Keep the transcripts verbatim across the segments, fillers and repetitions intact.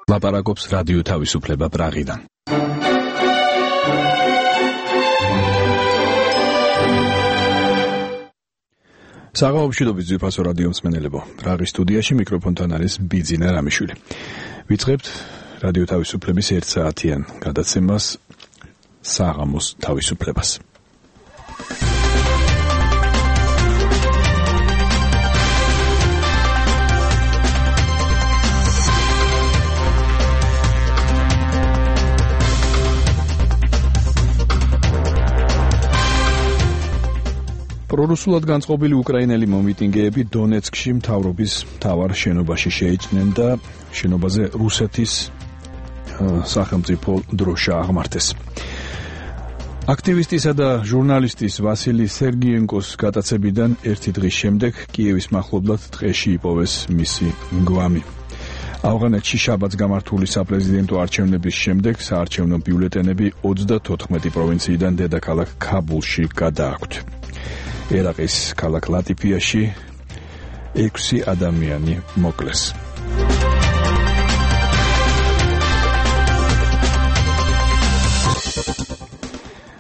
ლაპარაკობს რადიო თავისუფლება პრაღიდან. საღამოშიდობის ძვირფასო რადიო მსმენელებო, პრაღის სტუდიაში მიკროფონთან არის ბიძინა რამიშვილი. ვიწყებთ რადიო თავისუფლების ერთ საათიან გადაცემას საღამოს თავისუფლებას. პრორუსულად განწყობილი უკრაინელი მომიტინგეები დონეცკში მთავრობის მთავარ შენობაში შეიჭრნენ და შენობაზე რუსეთის სახელმწიფო დროშა აღმართეს. აქტივისტისა და ჟურნალისტის ვასილი სერგიენკოს გატაცებიდან ერთი დღის შემდეგ კიევის მახლობლად ტყეში იპოვეს მისი გვამი. ავღანეთში შაბათს გამართული საპრეზიდენტო არჩევნების შემდეგ საარჩევნო ბიულეტენები ოცდათოთხმეტი პროვინციიდან დედაქალაქ ქაბულში გადააქვთ. ერაყის ქალაქ ლატიფიაში ექვსი ადამიანი მოკლეს.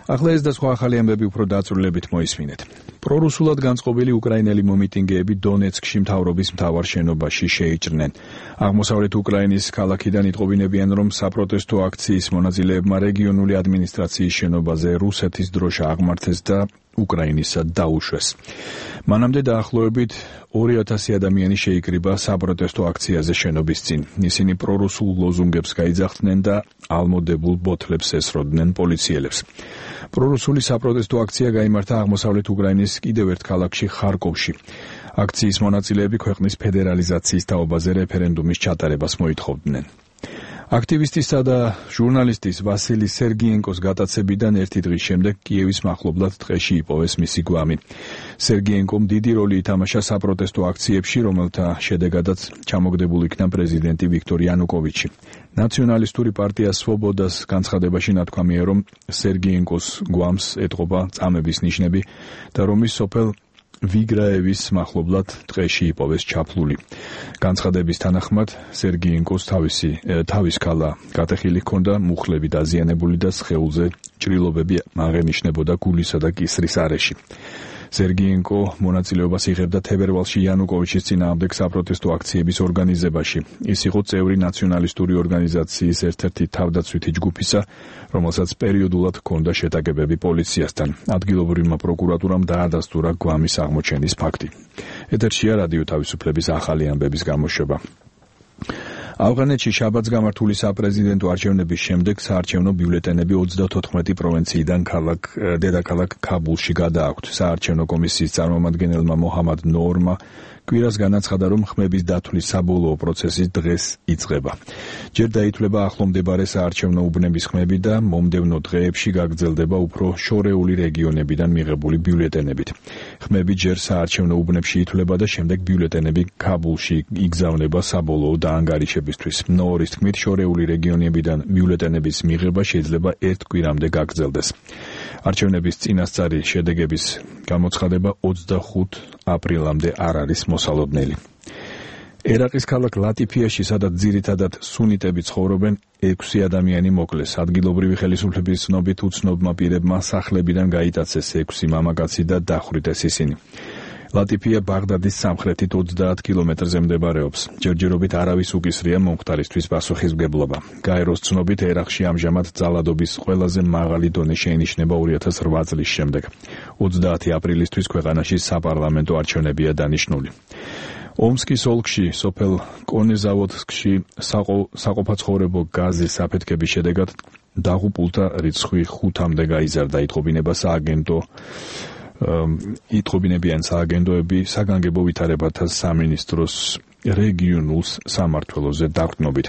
ახლა ეს და სხვა ახალი ამბები უფრო დაწვრილებით მოისმინეთ. პრორუსულად განწყობილი უკრაინელი მომიტინგეები დონეცკში მთავრობის მთავარ შენობაში შეიჭრნენ. აღმოსავლეთ უკრაინის ქალაქიდან იტყობინებიან, რომ საპროტესტო აქციის მონაწილეებმა რეგიონული ადმინისტრაციის შენობაზე რუსეთის დროშა აღმართეს და უკრაინისა დაუშვეს. მანამდე დაახლოებით ორი ათასი ადამიანი შეიკრიბა საპროტესტო აქციაზე შენობის წინ. ისინი პრორუსულ ლოზუნგებს გაიძახდნენ და ალმოდებულ ბოთლებს ესროდნენ პოლიციელებს. პრორუსული საპროტესტო აქცია გაიმართა აღმოსავლეთ უკრაინის კიდევ ერთ ქალაქში ხარკოვში. აქციის მონაწილეები ქვეყნის ფედერალიზაციის თაობაზე რეფერენდუმის ჩატარებას მოითხოვდნენ. აქტივისტისა და ჟურნალისტის ვასილი სერგიენკოს გატაცებიდან ერთი დღის შემდეგ კიევის მახლობლად ტყეში იპოვეს მისი გვამი. სერგიენკომ დიდი როლი ითამაშა საპროტესტო აქციებში, რომელთა შედეგადაც ჩამოგდებულ იქნა პრეზიდენტი ვიქტორ იანუკოვიჩი. ნაციონალისტური პარტია სვობოდას განცხადებაში ნათქვამია, რომ სერგიენკოს გვამს ეტყობა წამების ნიშნები და რომ ის სოფელ ვიგრაევის მახლობლად ტყეში იპოვეს ჩაფლული. განცხადების თანახმად სერგიენკოს თავისი თავის ქალა გატეხილი ჰქონდა, მუხლები დაზიანებული და სხეულზე ჭრილობები აღენიშნებოდა გულისა და კისრის არეში. სერგიენკო მონაწილეობას იღებდა თებერვალში იანუკოვიჩის წინააღმდეგ საპროტესტო აქციების ორგანიზებაში. ის იყო წევრი ნაციონალისტური ორგანიზაციის ერთ-ერთი თავდაცვითი ჯგუფისა, რომელსაც პერიოდულად ჰქონდა შეტაკებები პოლიციასთან. ადგილობრივმა პროკურატურამ დაადასტურა გვამის აღმოჩენის ფაქტი. ეთერშია რადიო თავისუფლების ახალი ამბების გამოშვება. ავღანეთში შაბათს გამართული საპრეზიდენტო არჩევნების შემდეგ საარჩევნო ბიულეტენები ოცდათოთხმეტი პროვინციიდან ქალაქ დედაქალაქ ქაბულში გადააქვთ. საარჩევნო კომისიის წარმომადგენელმა მოჰამად ნორმა კვირას განაცხადა, რომ ხმების დათვლის საბოლოო პროცესი დღეს იწყება. ჯერ დაითვლება ახლო მდებარე საარჩევნო უბნების ხმები და მომდევნო დღეებში გაგრძელდება უფრო შორეული რეგიონებიდან მიღებული ბიულეტენებით. ხმები ჯერ საარჩევნო უბნებში ითვლება და შემდეგ ბიულეტენები ქაბულში იგზავნება საბოლოო დაანგარიშებისთვის. ნორის თქმით, შორეული რეგიონებიდან ბიულეტენების მიღება შეიძლება ერთ კვირამდე გაგრძელდეს. არჩევნების წინასწარი შედეგების გამოცხადება ოცდახუთ აპრილამდე არ არის მოსალოდნელი. ერაყის ქალაქ ლატიფიაში, სადაც ძირითადად სუნიტები ცხოვრობენ, ექვსი ადამიანი მოკლეს. ადგილობრივი ხელისუფლების ცნობით უცნობმა პირებმა სახლებიდან გაიტაცეს ექვსი მამაკაცი და დახვრიტეს ისინი. ლატიფია ბაღდადის სამხრეთით ოცდაათ კილომეტრზე მდებარეობს. ჯერჯერობით არავის უკისრია მომხდარისთვის პასუხისმგებლობა. გაეროს ცნობით, ერაყში ამჟამად ძალადობის ყველაზე მაღალი დონე შეინიშნება ორი ათას რვა წლის შემდეგ. ოცდაათი აპრილისთვის ქვეყანაში საპარლამენტო არჩევნებია დანიშნული. ომსკის ოლქში, სოფელ კონეზავოდსკში საყოფაცხოვრებო გაზის აფეთქების შედეგად დაღუპულთა რიცხვი ხუთამდე გაიზარდა. იტყობინება სააგენტო იტყობინებიან სააგენტოები საგანგებო ვითარებათა სამინისტროს რეგიონულ სამმართველოზე დაყრდნობით.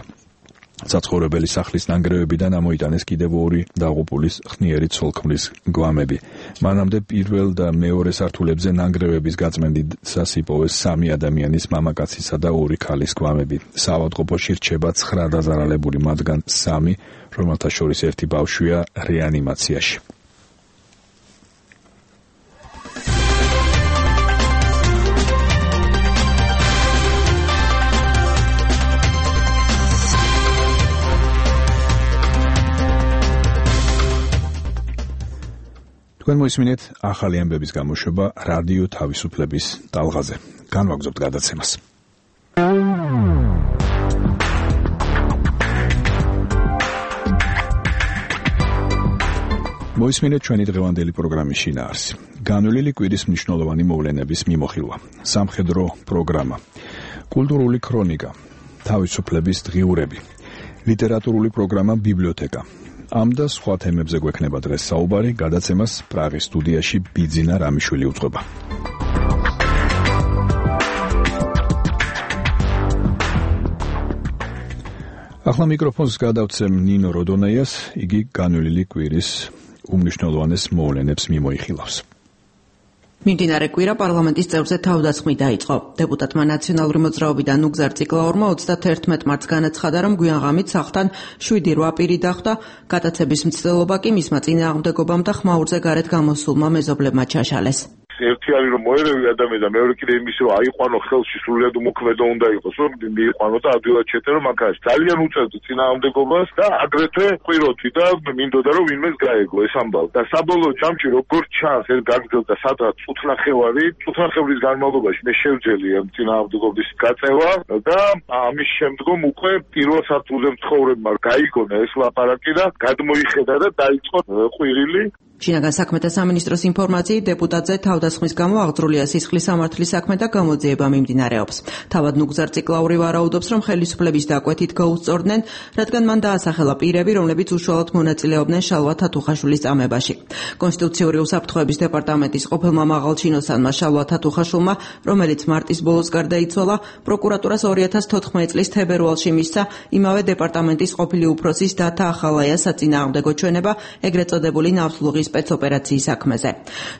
საცხოვრებელი სახლის ნანგრევებიდან ამოიტანეს კიდევ ორი დაღუპულის ხნიერი ცოლქმრის გვამები. მანამდე პირველ და მეორე სართულებზე ნანგრევების გაწმენდისას იპოვეს სამი ადამიანის მამაკაცისა და ორი ქალის გვამები. საავადმყოფოში რჩება ცხრა დაზარალებული, მათგან სამი, რომელთა შორის ერთი ბავშვია რეანიმაციაში. თქვენ მოისმინეთ ახალი ამბების გამოშვება რადიო თავისუფლების ტალღაზე. განვაგრძობთ გადაცემას. მოისმინეთ ჩვენი დღევანდელი პროგრამის შინაარსი. განვლილი კვირის მნიშვნელოვანი მოვლენების მიმოხილვა, სამხედრო პროგრამა, კულტურული ქრონიკა, თავისუფლების დღიურები, ლიტერატურული პროგრამა ბიბლიოთეკა. ამ და სხვა თემებზე გვექნება დღეს საუბარი, გადაცემას პრაღის სტუდიაში ბიძინა რამიშვილი უძღვება. ახლა მიკროფონს გადავცემ ნინო როდონეიას, იგი განვლილი კვირის უმნიშვნელოვანეს მოვლენებს მიმოიხილავს. მიმდინარე კვირა პარლამენტის წევრზე თავდასხმით დაიწყო. დეპუტატმა ნაციონალური მოძრაობიდან ნუგზარ ციკლაურმა ოცდათერთმეტ მარტს განაცხადა, რომ გვიანღამით სახლთან შვიდი რვა პირი დახვდა, გადაცების მცდელობა კი მისმა წინააღმდეგობამ და ხმაურზე გარეთ გამოსულმა მეზობლებმა ჩაშალეს. ერთი არის რომ მოერევი ადამიანი და მეორე კიდე იმის რომ აიყვანო ხელში სრულიად უმოქმედო უნდა იყოს რომ მიიყვანო და ადვილად შეეწერო მანქანაში. ძალიან უწევდი წინააღმდეგობას და აგრეთვე ყვიროთი და მინდოდა რომ ვინმეს გაეგო ეს ამბავი. და საბოლოო ჯამში როგორც ჩანს ეს გაგრძელდა სადღაც წუთნახევარი, წუთნახევრის განმავლობაში მე შევძელი წინააღმდეგობის გაწევა და ამის შემდგომ უკვე პირველ სართულზე მცხოვრებმა გაიგონა ეს ლაპარაკი და გადმოიხედა და დაიწყო ყვირილი. შინაგან საქმეთა სამინისტროს ინფორმაციით დეპუტატზე თავდასხმის გამო აღძრულია სისხლის სამართლის საქმე და გამოძიება მიმდინარეობს. თავად ნუგზარ ციკლაური ვარაუდობს, რომ ხელისუფლების დაკვეთით გაუსწორდნენ, რადგან მან დაასახელა პირები, რომლებიც უშუალოდ მონაწილეობდნენ შალვა თათუხაშვილის წამებაში. კონსტიტუციური უსაფრთხოების დეპარტამენტის ყოფილმა მაღალჩინოსანმა შალვა თათუხაშვილმა, რომელიც მარტის ბოლოს გარდაიცვალა, პროკურატურას ორი ათას თოთხმეტ წლის თებერვალში მისცა იმავე დეპარტამენტის ყოფილი უფროსის დათა ახალაიას საწინააღმდეგო ჩვენება, ეგრეთ წოდებული ნავთლუღის სპეცოპერაციის საქმეზე.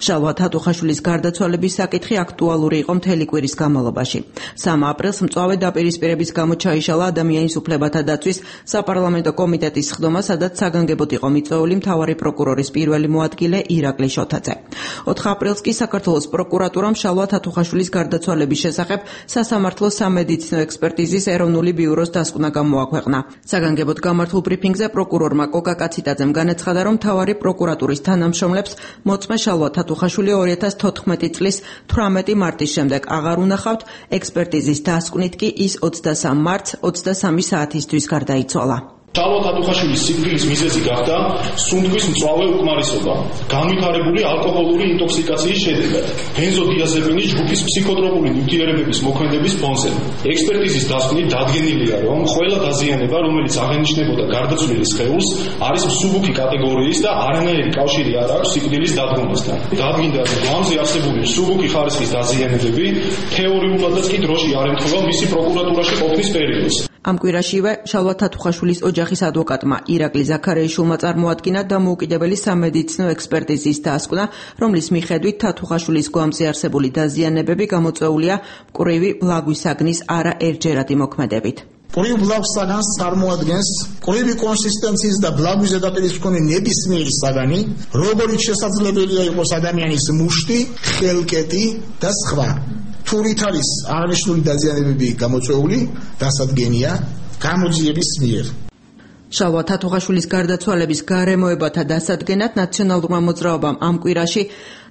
შალვა თათუხაშვილის გარდაცვალების საკითხი აქტუალური იყო მთელი კვირის განმავლობაში. სამი აპრილს მწვავე დაპირისპირების გამო ჩაიშალა ადამიანის უფლებათა დაცვის საპარლამენტო კომიტეტის სხდომა, სადაც საგანგებოდ იყო მიწვეული მთავარი პროკურორის პირველი მოადგილე ირაკლი შოთაძე. ოთხი აპრილს კი საქართველოს პროკურატურამ შალვა თათუხაშვილის გარდაცვალების შესახებ სასამართლო სამედიცინო ექსპერტიზის ეროვნული ბიუროს დასკვნა გამოაქვეყნა. საგანგებოდ გამართულ ბრიფინგზე პროკურორმა კოკა კაციტაძემ განაცხადა, რომ მთავარი პროკურატურის თანამშრომლებს მოწმე შალვა თათუხაშვილი ორი ათას თოთხმეტი წლის თვრამეტი მარტის შემდეგ აღარ უნახავთ, ექსპერტიზის დასკვნით კი ის ოცდასამი მარტს ოცდასამი საათისთვის გარდაიცვალა. შალვა თათუხაშვილის სიკვდილის მიზეზი გახდა სუნთქვის მწვავე უკმარისობა, განვითარებული ალკოჰოლური ინტოქსიკაციის შედეგად, ბენზოდიაზეპინის ჯგუფის ფსიქოტროპული ნივთიერებების მოქმედების ფონზე. ექსპერტიზის დასკვნით დადგენილია, რომ ყველა დაზიანება, რომელიც აღენიშნებოდა გარდაცვლილი სხეულს, არის მსუბუქი კატეგორიის და არანაირი კავშირი არ აქვს სიკვდილის დადგომასთან. დადგინდა, რომ გვამზე არსებული მსუბუქი ხარისხის დაზიანებები თეორიულადაც კი დროში არ ემთხვევა მისი პროკურატურაში ყოფნის პერიოდს. ამ კვირაშივე შალვა თათუხაშვილის ოჯახის ადვოკატმა ირაკლი ზაქარიაშვილმა წარმოადგინა დამოუკიდებელი სამედიცინო ექსპერტიზის დასკვნა, რომლის მიხედვით თათუხაშვილის გვამზე არსებული დაზიანებები გამოწვეულია მკვრივი ბლაგვის საგნის არაერთჯერადი მოქმედებით. მკვრივ ბლაგვის საგანს წარმოადგენს მკვრივი კონსისტენციის და ბლაგვის ზედაპირის მქონე ნებისმიერი საგანი, როგორიც შესაძლებელია იყოს ადამიანის მუშტი, ხელკეტი და სხვა. თურით არის აღნიშნული დაზიანებები გამოწვეული, დასადგენია გამოძიების მიერ. შალვა თათუხაშვილის გარდაცვალების გარემოებათა დასადგენად ნაციონალურმა მოძრაობამ ამ კვირაში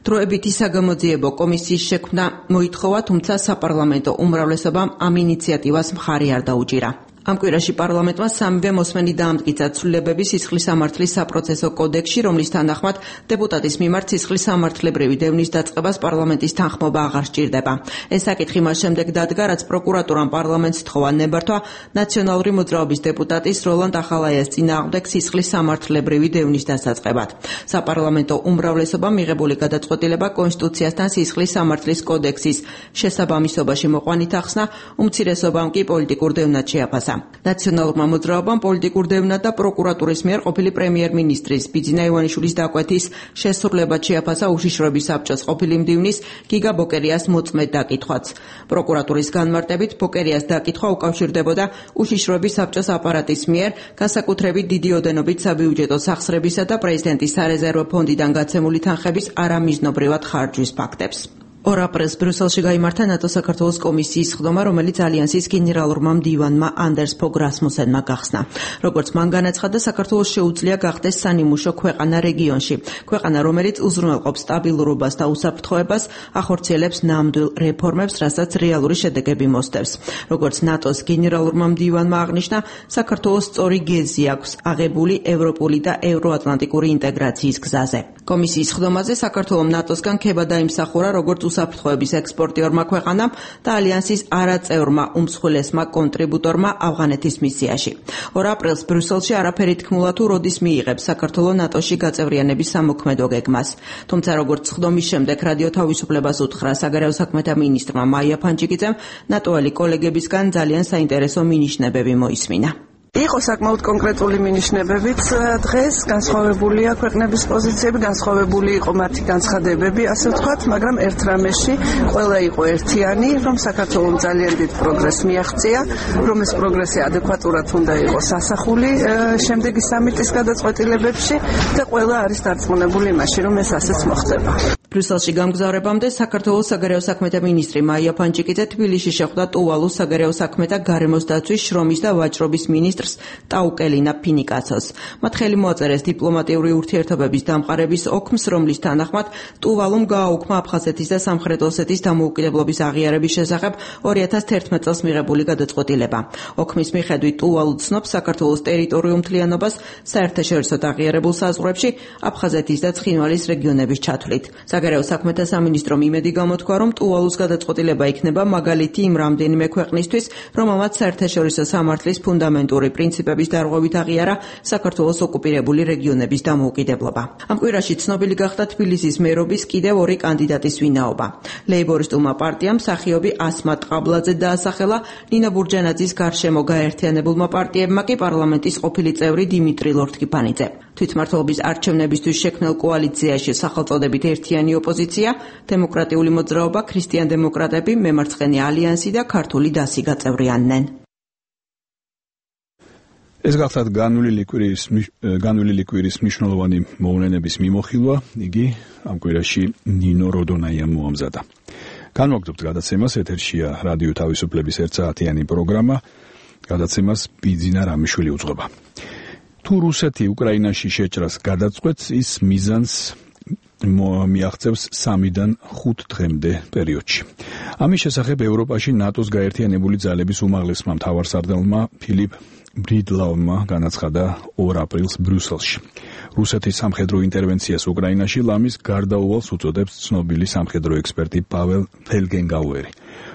დროებითი საგამოძიებო კომისიის შექმნა მოითხოვა, თუმცა საპარლამენტო უმრავლესობამ ამ ინიციატივას მხარი არ დაუჭირა. ამ კვირაში პარლამენტმა სამივე მოსმენი დაამტკიცა ცვლილებები სისხლის სამართლის საპროცესო კოდექსში, რომლის თანახმად დეპუტატის მიმართ სისხლის სამართლებრივი დევნის დაწყებას პარლამენტის თანხმობა აღარ სჭირდება. ეს საკითხი მას შემდეგ დადგა, რაც პროკურატურამ პარლამენტს თხოვა ნებართვა ნაციონალური მოძრაობის დეპუტატის როლანდ ახალაიას წინააღმდეგ სისხლის სამართლებრივი დევნის დასაწყებად. საპარლამენტო უმრავლესობამ მიღებული გადაწყვეტილება კონსტიტუციასთან სისხლის სამართლის კოდექსის შესაბამისობაში მოყვანით ახსნა, უმცირესობამ კი პოლიტიკურ დევნად შეაფასა. ნაციონალურმა მოძრაობამ პოლიტიკურ დევნად და პროკურატურის მიერ ყოფილი პრემიერ-მინისტრის ბიძინა ივანიშვილის დაკვეთის შესრულებად შეაფასა უშიშროების საბჭოს ყოფილი მდივნის გიგა ბოკერიას მოწმედ დაკითხვაც. პროკურატურის განმარტებით ბოკერიას დაკითხვა უკავშირდებოდა უშიშროების საბჭოს აპარატის მიერ განსაკუთრებით დიდი ოდენობით საბიუჯეტო სახსრებისა და პრეზიდენტის სარეზერვო ფონდიდან გაცემული თანხების არამიზნობრივად ხარჯვის ფაქტებს. ორ აპრილს ბრიუსელში გაიმართა ნატო-საქართველოს კომისიის ხდომა, რომელიც ალიანსის გენერალურმა მდივანმა ანდერს ფოგ რასმუსენმა გახსნა. როგორც მან განაცხადა, საქართველოს შეუძლია გახდეს სანიმუშო ქვეყანა რეგიონში. ქვეყანა, რომელიც უზრუნველყოფს სტაბილურობას და უსაფრთხოებას, ახორციელებს ნამდვილ რეფორმებს, რასაც რეალური შედეგები მოსდევს. როგორც ნატოს გენერალურმა მდივანმა აღნიშნა, საქართველოს სწორი გეზი აქვს აღებული ევროპული და ევროატლანტიკური ინტეგრაციის გზაზე. კომისიის ხდომაზე საქართველოს ნატოსგან ქება დაიმსახურა როგორც უსაფრთხოების ექსპორტიორმა ქვეყანამ და ალიანსის არაწევრმა უმსხვილესმა კონტრიბუტორმა ავღანეთის მისიაში. ორ აპრილს ბრიუსელში არაფერი თქმულა თუ როდის მიიღებს საქართველოს ნატოში გაწევრიანების სამოქმედო გეგმას. თუმცა როგორც ხდომის შემდეგ რადიო თავისუფლებას უთხრა საგარეო საქმეთა მინისტრმა მაია ფანჯიკიძემ, ნატოელი კოლეგებისგან ძალიან საინტერესო მინიშნებები მოისმინა. იყო საკმაოდ კონკრეტული მინიშნებებიც დღეს განსხვავებულია ქვეყნების პოზიციები, განსხვავებული იყო მათი განცხადებები, ასე ვთქვათ, მაგრამ ერთ რამეში ყველა იყო ერთიანი, რომ საქართველოს ძალიან დიდ პროგრესს მიაღწია, რომ ეს პროგრესი ადეკვატურად უნდა იყოს ასახული შემდეგი სამიტის გადაწყვეტილებებში და ყველა არის დარწმუნებული იმაში, რომ ეს ასეც მოხდება. ბრიუსელში გამგზავრებამდე საქართველოს საგარეო საქმეთა მინისტრი მაია ფანჯიკიძე თბილისში შეხვდა ტუვალუს საგარეო საქმეთა გარემოს დაცვის, შრომის და ვაჭრობის მინისტრს ტაუკელინა ფინიკაცოს. მათ ხელი მოაწერეს დიპლომატიური ურთიერთობების დამყარების ოქმს, რომლის თანახმად ტუვალუმ გააუქმა აფხაზეთის და სამხრეთ ოსეთის დამოუკიდებლობის აღიარების შესახებ ორი ათას თერთმეტ წელს მიღებული გადაწყვეტილება. ოქმის მიხედვით ტუვალუ ცნობს საქართველოს ტერიტორიულ მთლიანობას საერთაშორისოდ აღიარებულ საზღვრებში აფხაზეთის და ცხინვალის რეგიონების ჩათვლით. საგარეო საქმეთა სამინისტრომ იმედი გამოთქვა, რომ ტუვალუს გადაწყვეტილება იქნება მაგალითი იმ რამდენიმე ქვეყნისთვის, რომელმაც საერთაშორისო სამართლის ფუნდამენტური პრინციპების დარღვევით აღიარა საქართველოს ოკუპირებული რეგიონების დამოუკიდებლობა. ამ კვირაში ცნობილი გახდა თბილისის მერობის კიდევ ორი კანდიდატის ვინაობა. ლეიბორისტულმა პარტიამ მსახიობი ასმატ ყაბლაძე დაასახელა, ნინო ბურჯანაძის გარშემო გაერთიანებულმა პარტიებმა კი პარლამენტის ყოფილი წევრი დიმიტრი ლორთქიფანიძე. თვითმმართველობის არჩევნებისთვის შექმნილ კოალიციაში სახელწოდებით ერთიანი ოპოზიცია, დემოკრატიული მოძრაობა, ქრისტიან-დემოკრატები, მემარცხენე ალიანსი და ქართული დასი გაწევრიანდნენ. ეს გახლავთ განვლილი კვირის განვლილი კვირის მნიშვნელოვანი მოვლენების მიმოხილვა, იგი ამ კვირაში ნინო როდონაიამ მოამზადა. განვაგრძობთ გადაცემას, ეთერშია რადიო თავისუფლების ერთსაათიანი პროგრამა, გადაცემას ბიძინა რამიშვილი უძღვება. თუ რუსეთი უკრაინაში შეჭრას გადაწყვეტს, ის მიზანს მიაღწევს სამიდან ხუთ დღემდე პერიოდში. ამის შესახებ ევროპაში ნატოს გაერთიანებული ძალების უმაღლესმა მთავარსარდალმა ფილიპ ბრიდლაუმა განაცხადა ორ აპრილს ბრიუსელში. რუსეთის სამხედრო ინტერვენციას უკრაინაში ლამის გარდაუვალს უწოდებს ცნობილი სამხედრო ექსპერტი პაվել ფელგენგაუერი,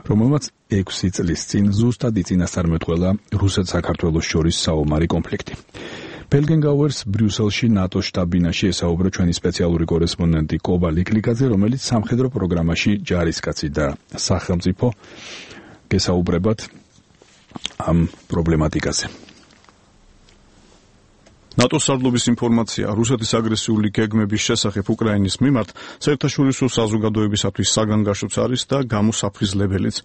რომელმაც ექვსი წლის წინ ზუსტად იწინასწარმეტყველა რუსეთ-საქართველოს შორის საომარი კონფლიქტი. ფელგენგაუერს ბრიუსელში ნატოს შტაბ-ბინაში ესაუბრა ჩვენი სპეციალური კორესპონდენტი კობა ლიკლიკაძე, რომელიც სამხედრო პროგრამაში ჯარისკაცი და სახელმწიფო გესაუბრებათ ამ პრობლემატიკაზე. ნატოს სარდლობის ინფორმაცია რუსეთის აგრესიული გეგმების შესახებ უკრაინის მიმართ საერთაშორისო საზოგადოებისათვის საგანგაშოც არის და გამოსაფრიზლებელიც.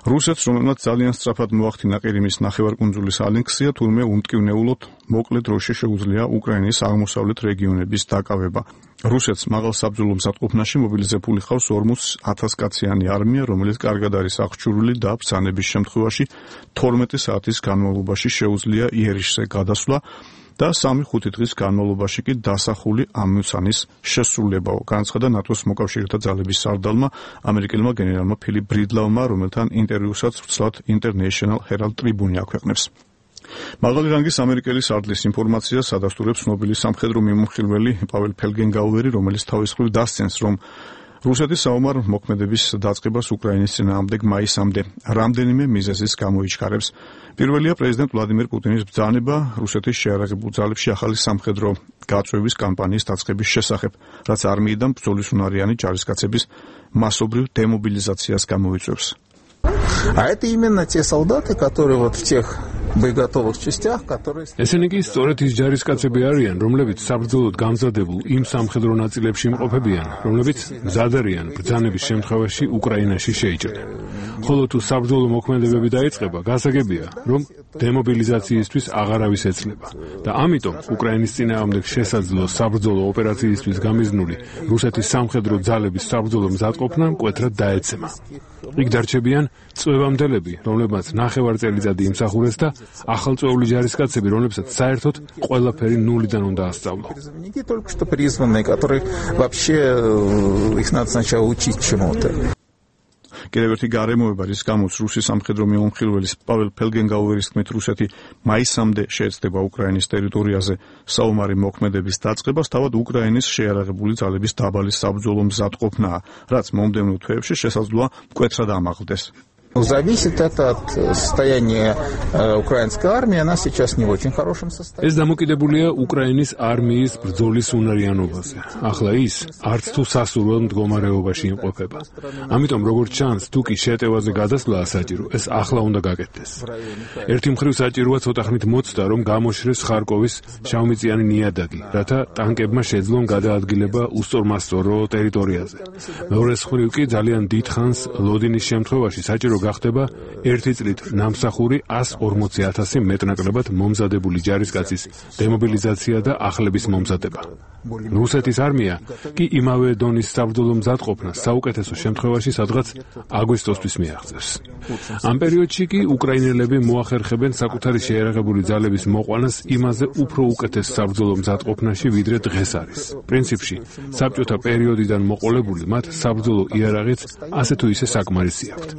რუსეთს, რომელმაც ძალიან სწრაფად მოახდინა ყირიმის ნახევარკუნძულის ანექსია, თურმე უმტკივნეულოდ მოკლე დროში შეუძლია უკრაინის აღმოსავლეთ რეგიონების დაკავება. რუსეთს მაღალ საბრძოლო მზადყოფნაში მობილიზებული ხავს ორმოც ათას კაციანი არმია, რომელიც კარგად არის აღჭურვილი და ბრძანების შემთხვევაში თორმეტი საათის განმავლობაში შეუძლია იერიშზე გადასვლა და სამი-ხუთი დღის განმავლობაში კი დასახული ამოცანის შესრულებაო, განაცხადა ნატოს მოკავშირეთა ძალების სარდალმა ამერიკელმა გენერალმა ფილიპ ბრიდლაუმმა, რომელთან ინტერვიუსაც ვრცლად International Herald Tribune აქვეყნებს. მაღალი რანგის ამერიკელი სარდლის ინფორმაციას ადასტურებს ცნობილი სამხედრო მიმოხილველი პაվել ფელგენგაუერი, რომელიც თავის მხრივ დასცენს, რომ რუსეთის საომარ მოქმედების დაწყებას უკრაინის წინააღმდეგ მაისამდე რამდენიმე მიზეზის გამოიჩქარებს. პირველია პრეზიდენტ ვლადიმერ პუტინის ბრძანება რუსეთის შეიარაღებულ ძალებში ახალი სამხედრო გაწვევის კამპანიის დაწყების შესახებ, რაც არმიიდან ბრძოლის უნარიანი ჯარისკაცების მასობრივ демобилизациას გამოიწვევს. А это именно те солдаты, которые вот в тех боеготовых частях, которые ესენი კი სწორედ ის ჯარისკაცები არიან, რომლებიც საბრძოლოდ გამზადებულ იმ სამხედრო ნაწილებში იმყოფებიან, რომლებიც მზად არიან ბრძანების შემთხვევაში უკრაინაში შეიჭრნენ. ხოლო თუ საბრძოლო მოქმედებები დაიწყება, გასაგებია, რომ დემობილიზაციისთვის აღარავის ეცლება და ამიტომ უკრაინის წინააღმდეგ შესაძლო საბრძოლო ოპერაციისთვის გამიზნული რუსეთის სამხედრო ძალების საბრძოლო მზადყოფნა მკვეთრად დაეცემა. იქ დარჩებიან წვევამდელები, რომლებმაც ნახევარწელიწადი იმსახურეს და ახალწვეული ჯარისკაცები, რომლებსაც საერთოდ ყველაფერი ნულიდან უნდა ასწავლო. только что призванные, которые вообще их надо сначала учить чему-то. კიდევ ერთი გარემოება, რის გამოც რუსი სამხედრო მიმოხილველის პაվել ფელგენგაუერის თქმით, რუსეთი მაისამდე შეეცდება უკრაინის ტერიტორიაზე საომარი მოქმედების დაწყებას, თავად უკრაინის შეიარაღებული ძალების დაბალი საბრძოლო მზადყოფნაა, რაც მომდევნო თვეებში შესაძლოა მკვეთრად ამაღლდეს. Зависит это от состояния украинской армии, она сейчас не в очень хорошем состоянии. ეს დამოკიდებულია უკრაინის არმიის ბრძოლის უნარიანობაზე. ახლა ის არც თუ სასურველ მდგომარეობაში იმყოფება. ამიტომ როგორც ჩანს, თუ კი შეტევაზე გადასვლა საჭირო, ეს ახლა უნდა გაკეთდეს. ერთი მხრივ საჭიროა ცოტა ხნით მოცდა, რომ გამოშრეს ხარკოვის შავმიწიანი ნიადაგი, რათა ტანკებმა შეძლონ გადაადგილება უსწორმასწორო ტერიტორიაზე. მეორე მხრივ კი ძალიან დიდხანს ლოდინის შემთხვევაში საჭირო გახდება ერთი წლით ნამსახური ასი ორმოცი ათასი მეტნაკლებად მომზადებული ჯარისკაცის დემობილიზაცია და ახლების მომზადება. რუსეთის არმია კი იმავე დონის საბრძოლო მზადყოფნას საუკეთესო შემთხვევაში სადღაც აგვისტოსთვის მიაღწევს. ამ პერიოდში კი უკრაინელები მოახერხებენ საკუთარი შეიარაღებული ძალების მოყვანას იმაზე უფრო უკეთეს საბრძოლო მზადყოფნაში, ვიდრე დღეს არის. პრინციპში, საბჭოთა პერიოდიდან მოყოლებული მათ საბრძოლო იარაღიც ასე თუ ისე საკმარისი აქვთ.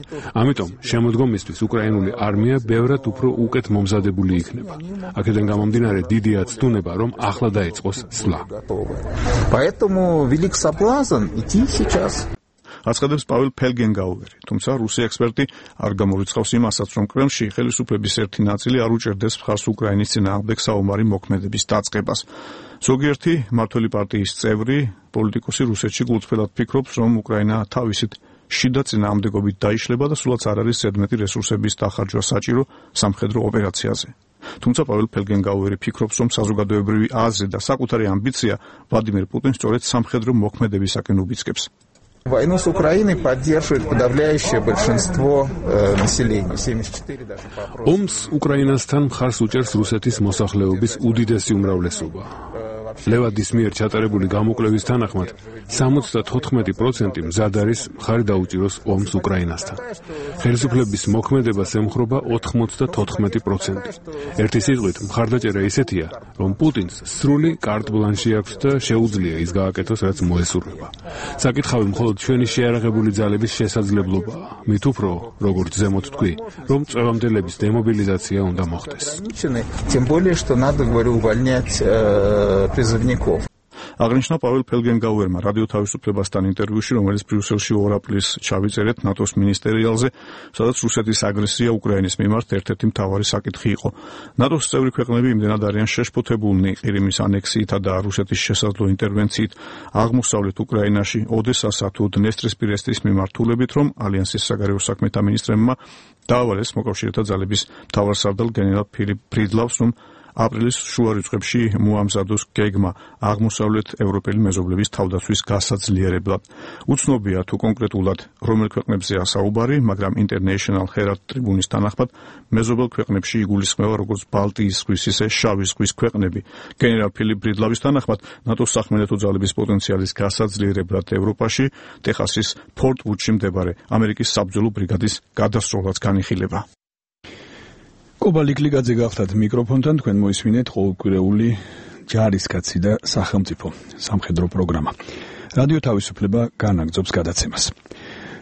ამიტომ შემოდგომისთვის უკრაინული არმია ბევრად უფრო უკეთ მომზადებული იქნება. აქედან გამომდინარე დიდია ცდუნება, რომ ახლა დაიწყოს სვლა. Поэтому велик соблазн идти сейчас. აცხადებს პაվել ფელგენგაუერი, თუმცა რუსი ექსპერტი არ გამორიცხავს იმასაც, რომ კრემლში ხელისუფლების ერთი ნაწილი არ უჭერდეს მხარს უკრაინის წინააღმდეგ საომარი მოქმედების დაწყებას. ზოგიერთი მმართველი პარტიის წევრი, პოლიტიკოსი რუსეთში გულწრფელად ფიქრობს, რომ უკრაინა თავისით შიდა წინააღმდეგობით დაიშლება და სულაც არ არის ზედმეტი რესურსების დახარჯვა საჭირო სამხედრო ოპერაციაზე. თუმცა პაվել ფელგენგაუერი фикრობს, რომ საზოგადოებრივი აზრი და საკუთარი ამბიცია ვლადიმერ პუტინს სწორედ სამხედრო მოქმედებისაკენ უბიძგებს. Войну с Украиной поддерживает подавляющее большинство э, населения, семьдесят четыре даже по опросам. ომს უკრაინასთან მხარს უჭერს რუსეთის მოსახლეობის უდიდესი უმრავლესობა. ლევადის მიერ ჩატარებული გამოკვლევის თანახმად სამოცდათოთხმეტი პროცენტი მზად არის მხარი დაუჭიროს ომს უკრაინასთან. ხელისუფლების მოქმედებას ემხრობა ოთხმოცდათოთხმეტი პროცენტი. ერთი სიტყვით, მხარდაჭერა ისეთია, რომ პუტინს სრული კარტ ბლანში აქვს და შეუძლია ის გააკეთოს, რაც მოესურვება. საკითხავი მხოლოდ ჩვენი შეიარაღებული ძალების შესაძლებლობაა. მით უფრო, როგორც ზემოთ თქვი, რომ წვევამდელების დემობილიზაცია უნდა მოხდეს. Тем более, что надо, говорю, увольнять призывников. აღნიშნა პაվել ფელგენგაუერმა რადიო თავისუფლებასთან ინტერვიუში, რომელიც ბრიუსელში ორ აპრილს ჩავიწერეთ ნატოს მინისტერიალზე, სადაც რუსეთის აგრესია უკრაინის მიმართ ერთ-ერთი მთავარი საკითხი იყო. ნატოს წევრი ქვეყნები იმდენად არიან შეშფოთებულნი ყირიმის ანექსიითა და რუსეთის შესაძლო ინტერვენციით აღმოსავლეთ უკრაინაში, ოდესასა თუ დნესტრისპირეთის მიმართულებით, რომ ალიანსის საგარეო საქმეთა მინისტრებმა დაავალეს მოკავშირეთა ძალების მთავარსარდალ გენერალ ფილიპ ფრიდლავს, რომ აპრილის შუა რიცხვებში მოამზადოს გეგმა აღმოსავლეთ ევროპელი მეზობლების თავდაცვის გასაძლიერებლად. უცნობია თუ კონკრეტულად რომელ ქვეყნებზეა საუბარი, მაგრამ International Herald Tribune-ის თანახმად მეზობელ ქვეყნებში იგულისხმება როგორც ბალტიის ზღვის, ისე შავი ზღვის ქვეყნები. გენერალ ფილიპ ფრიდლავის თანახმად ნატოს სახმელეთო ძალების პოტენციალის გასაძლიერებლად ევროპაში ტეხასის ფორტ ვუდში მდებარე ამერიკის საბრძოლო ბრიგადის გადასროლაც განიხილება. კობა ლიკლიგაძე გახდათ მიკროფონთან, თქვენ მოისმინეთ ყოველკვირეული ჯარისკაცი და სახელმწიფო სამხედრო პროგრამა. რადიო თავისუფლება განაგრძობს გადაცემას.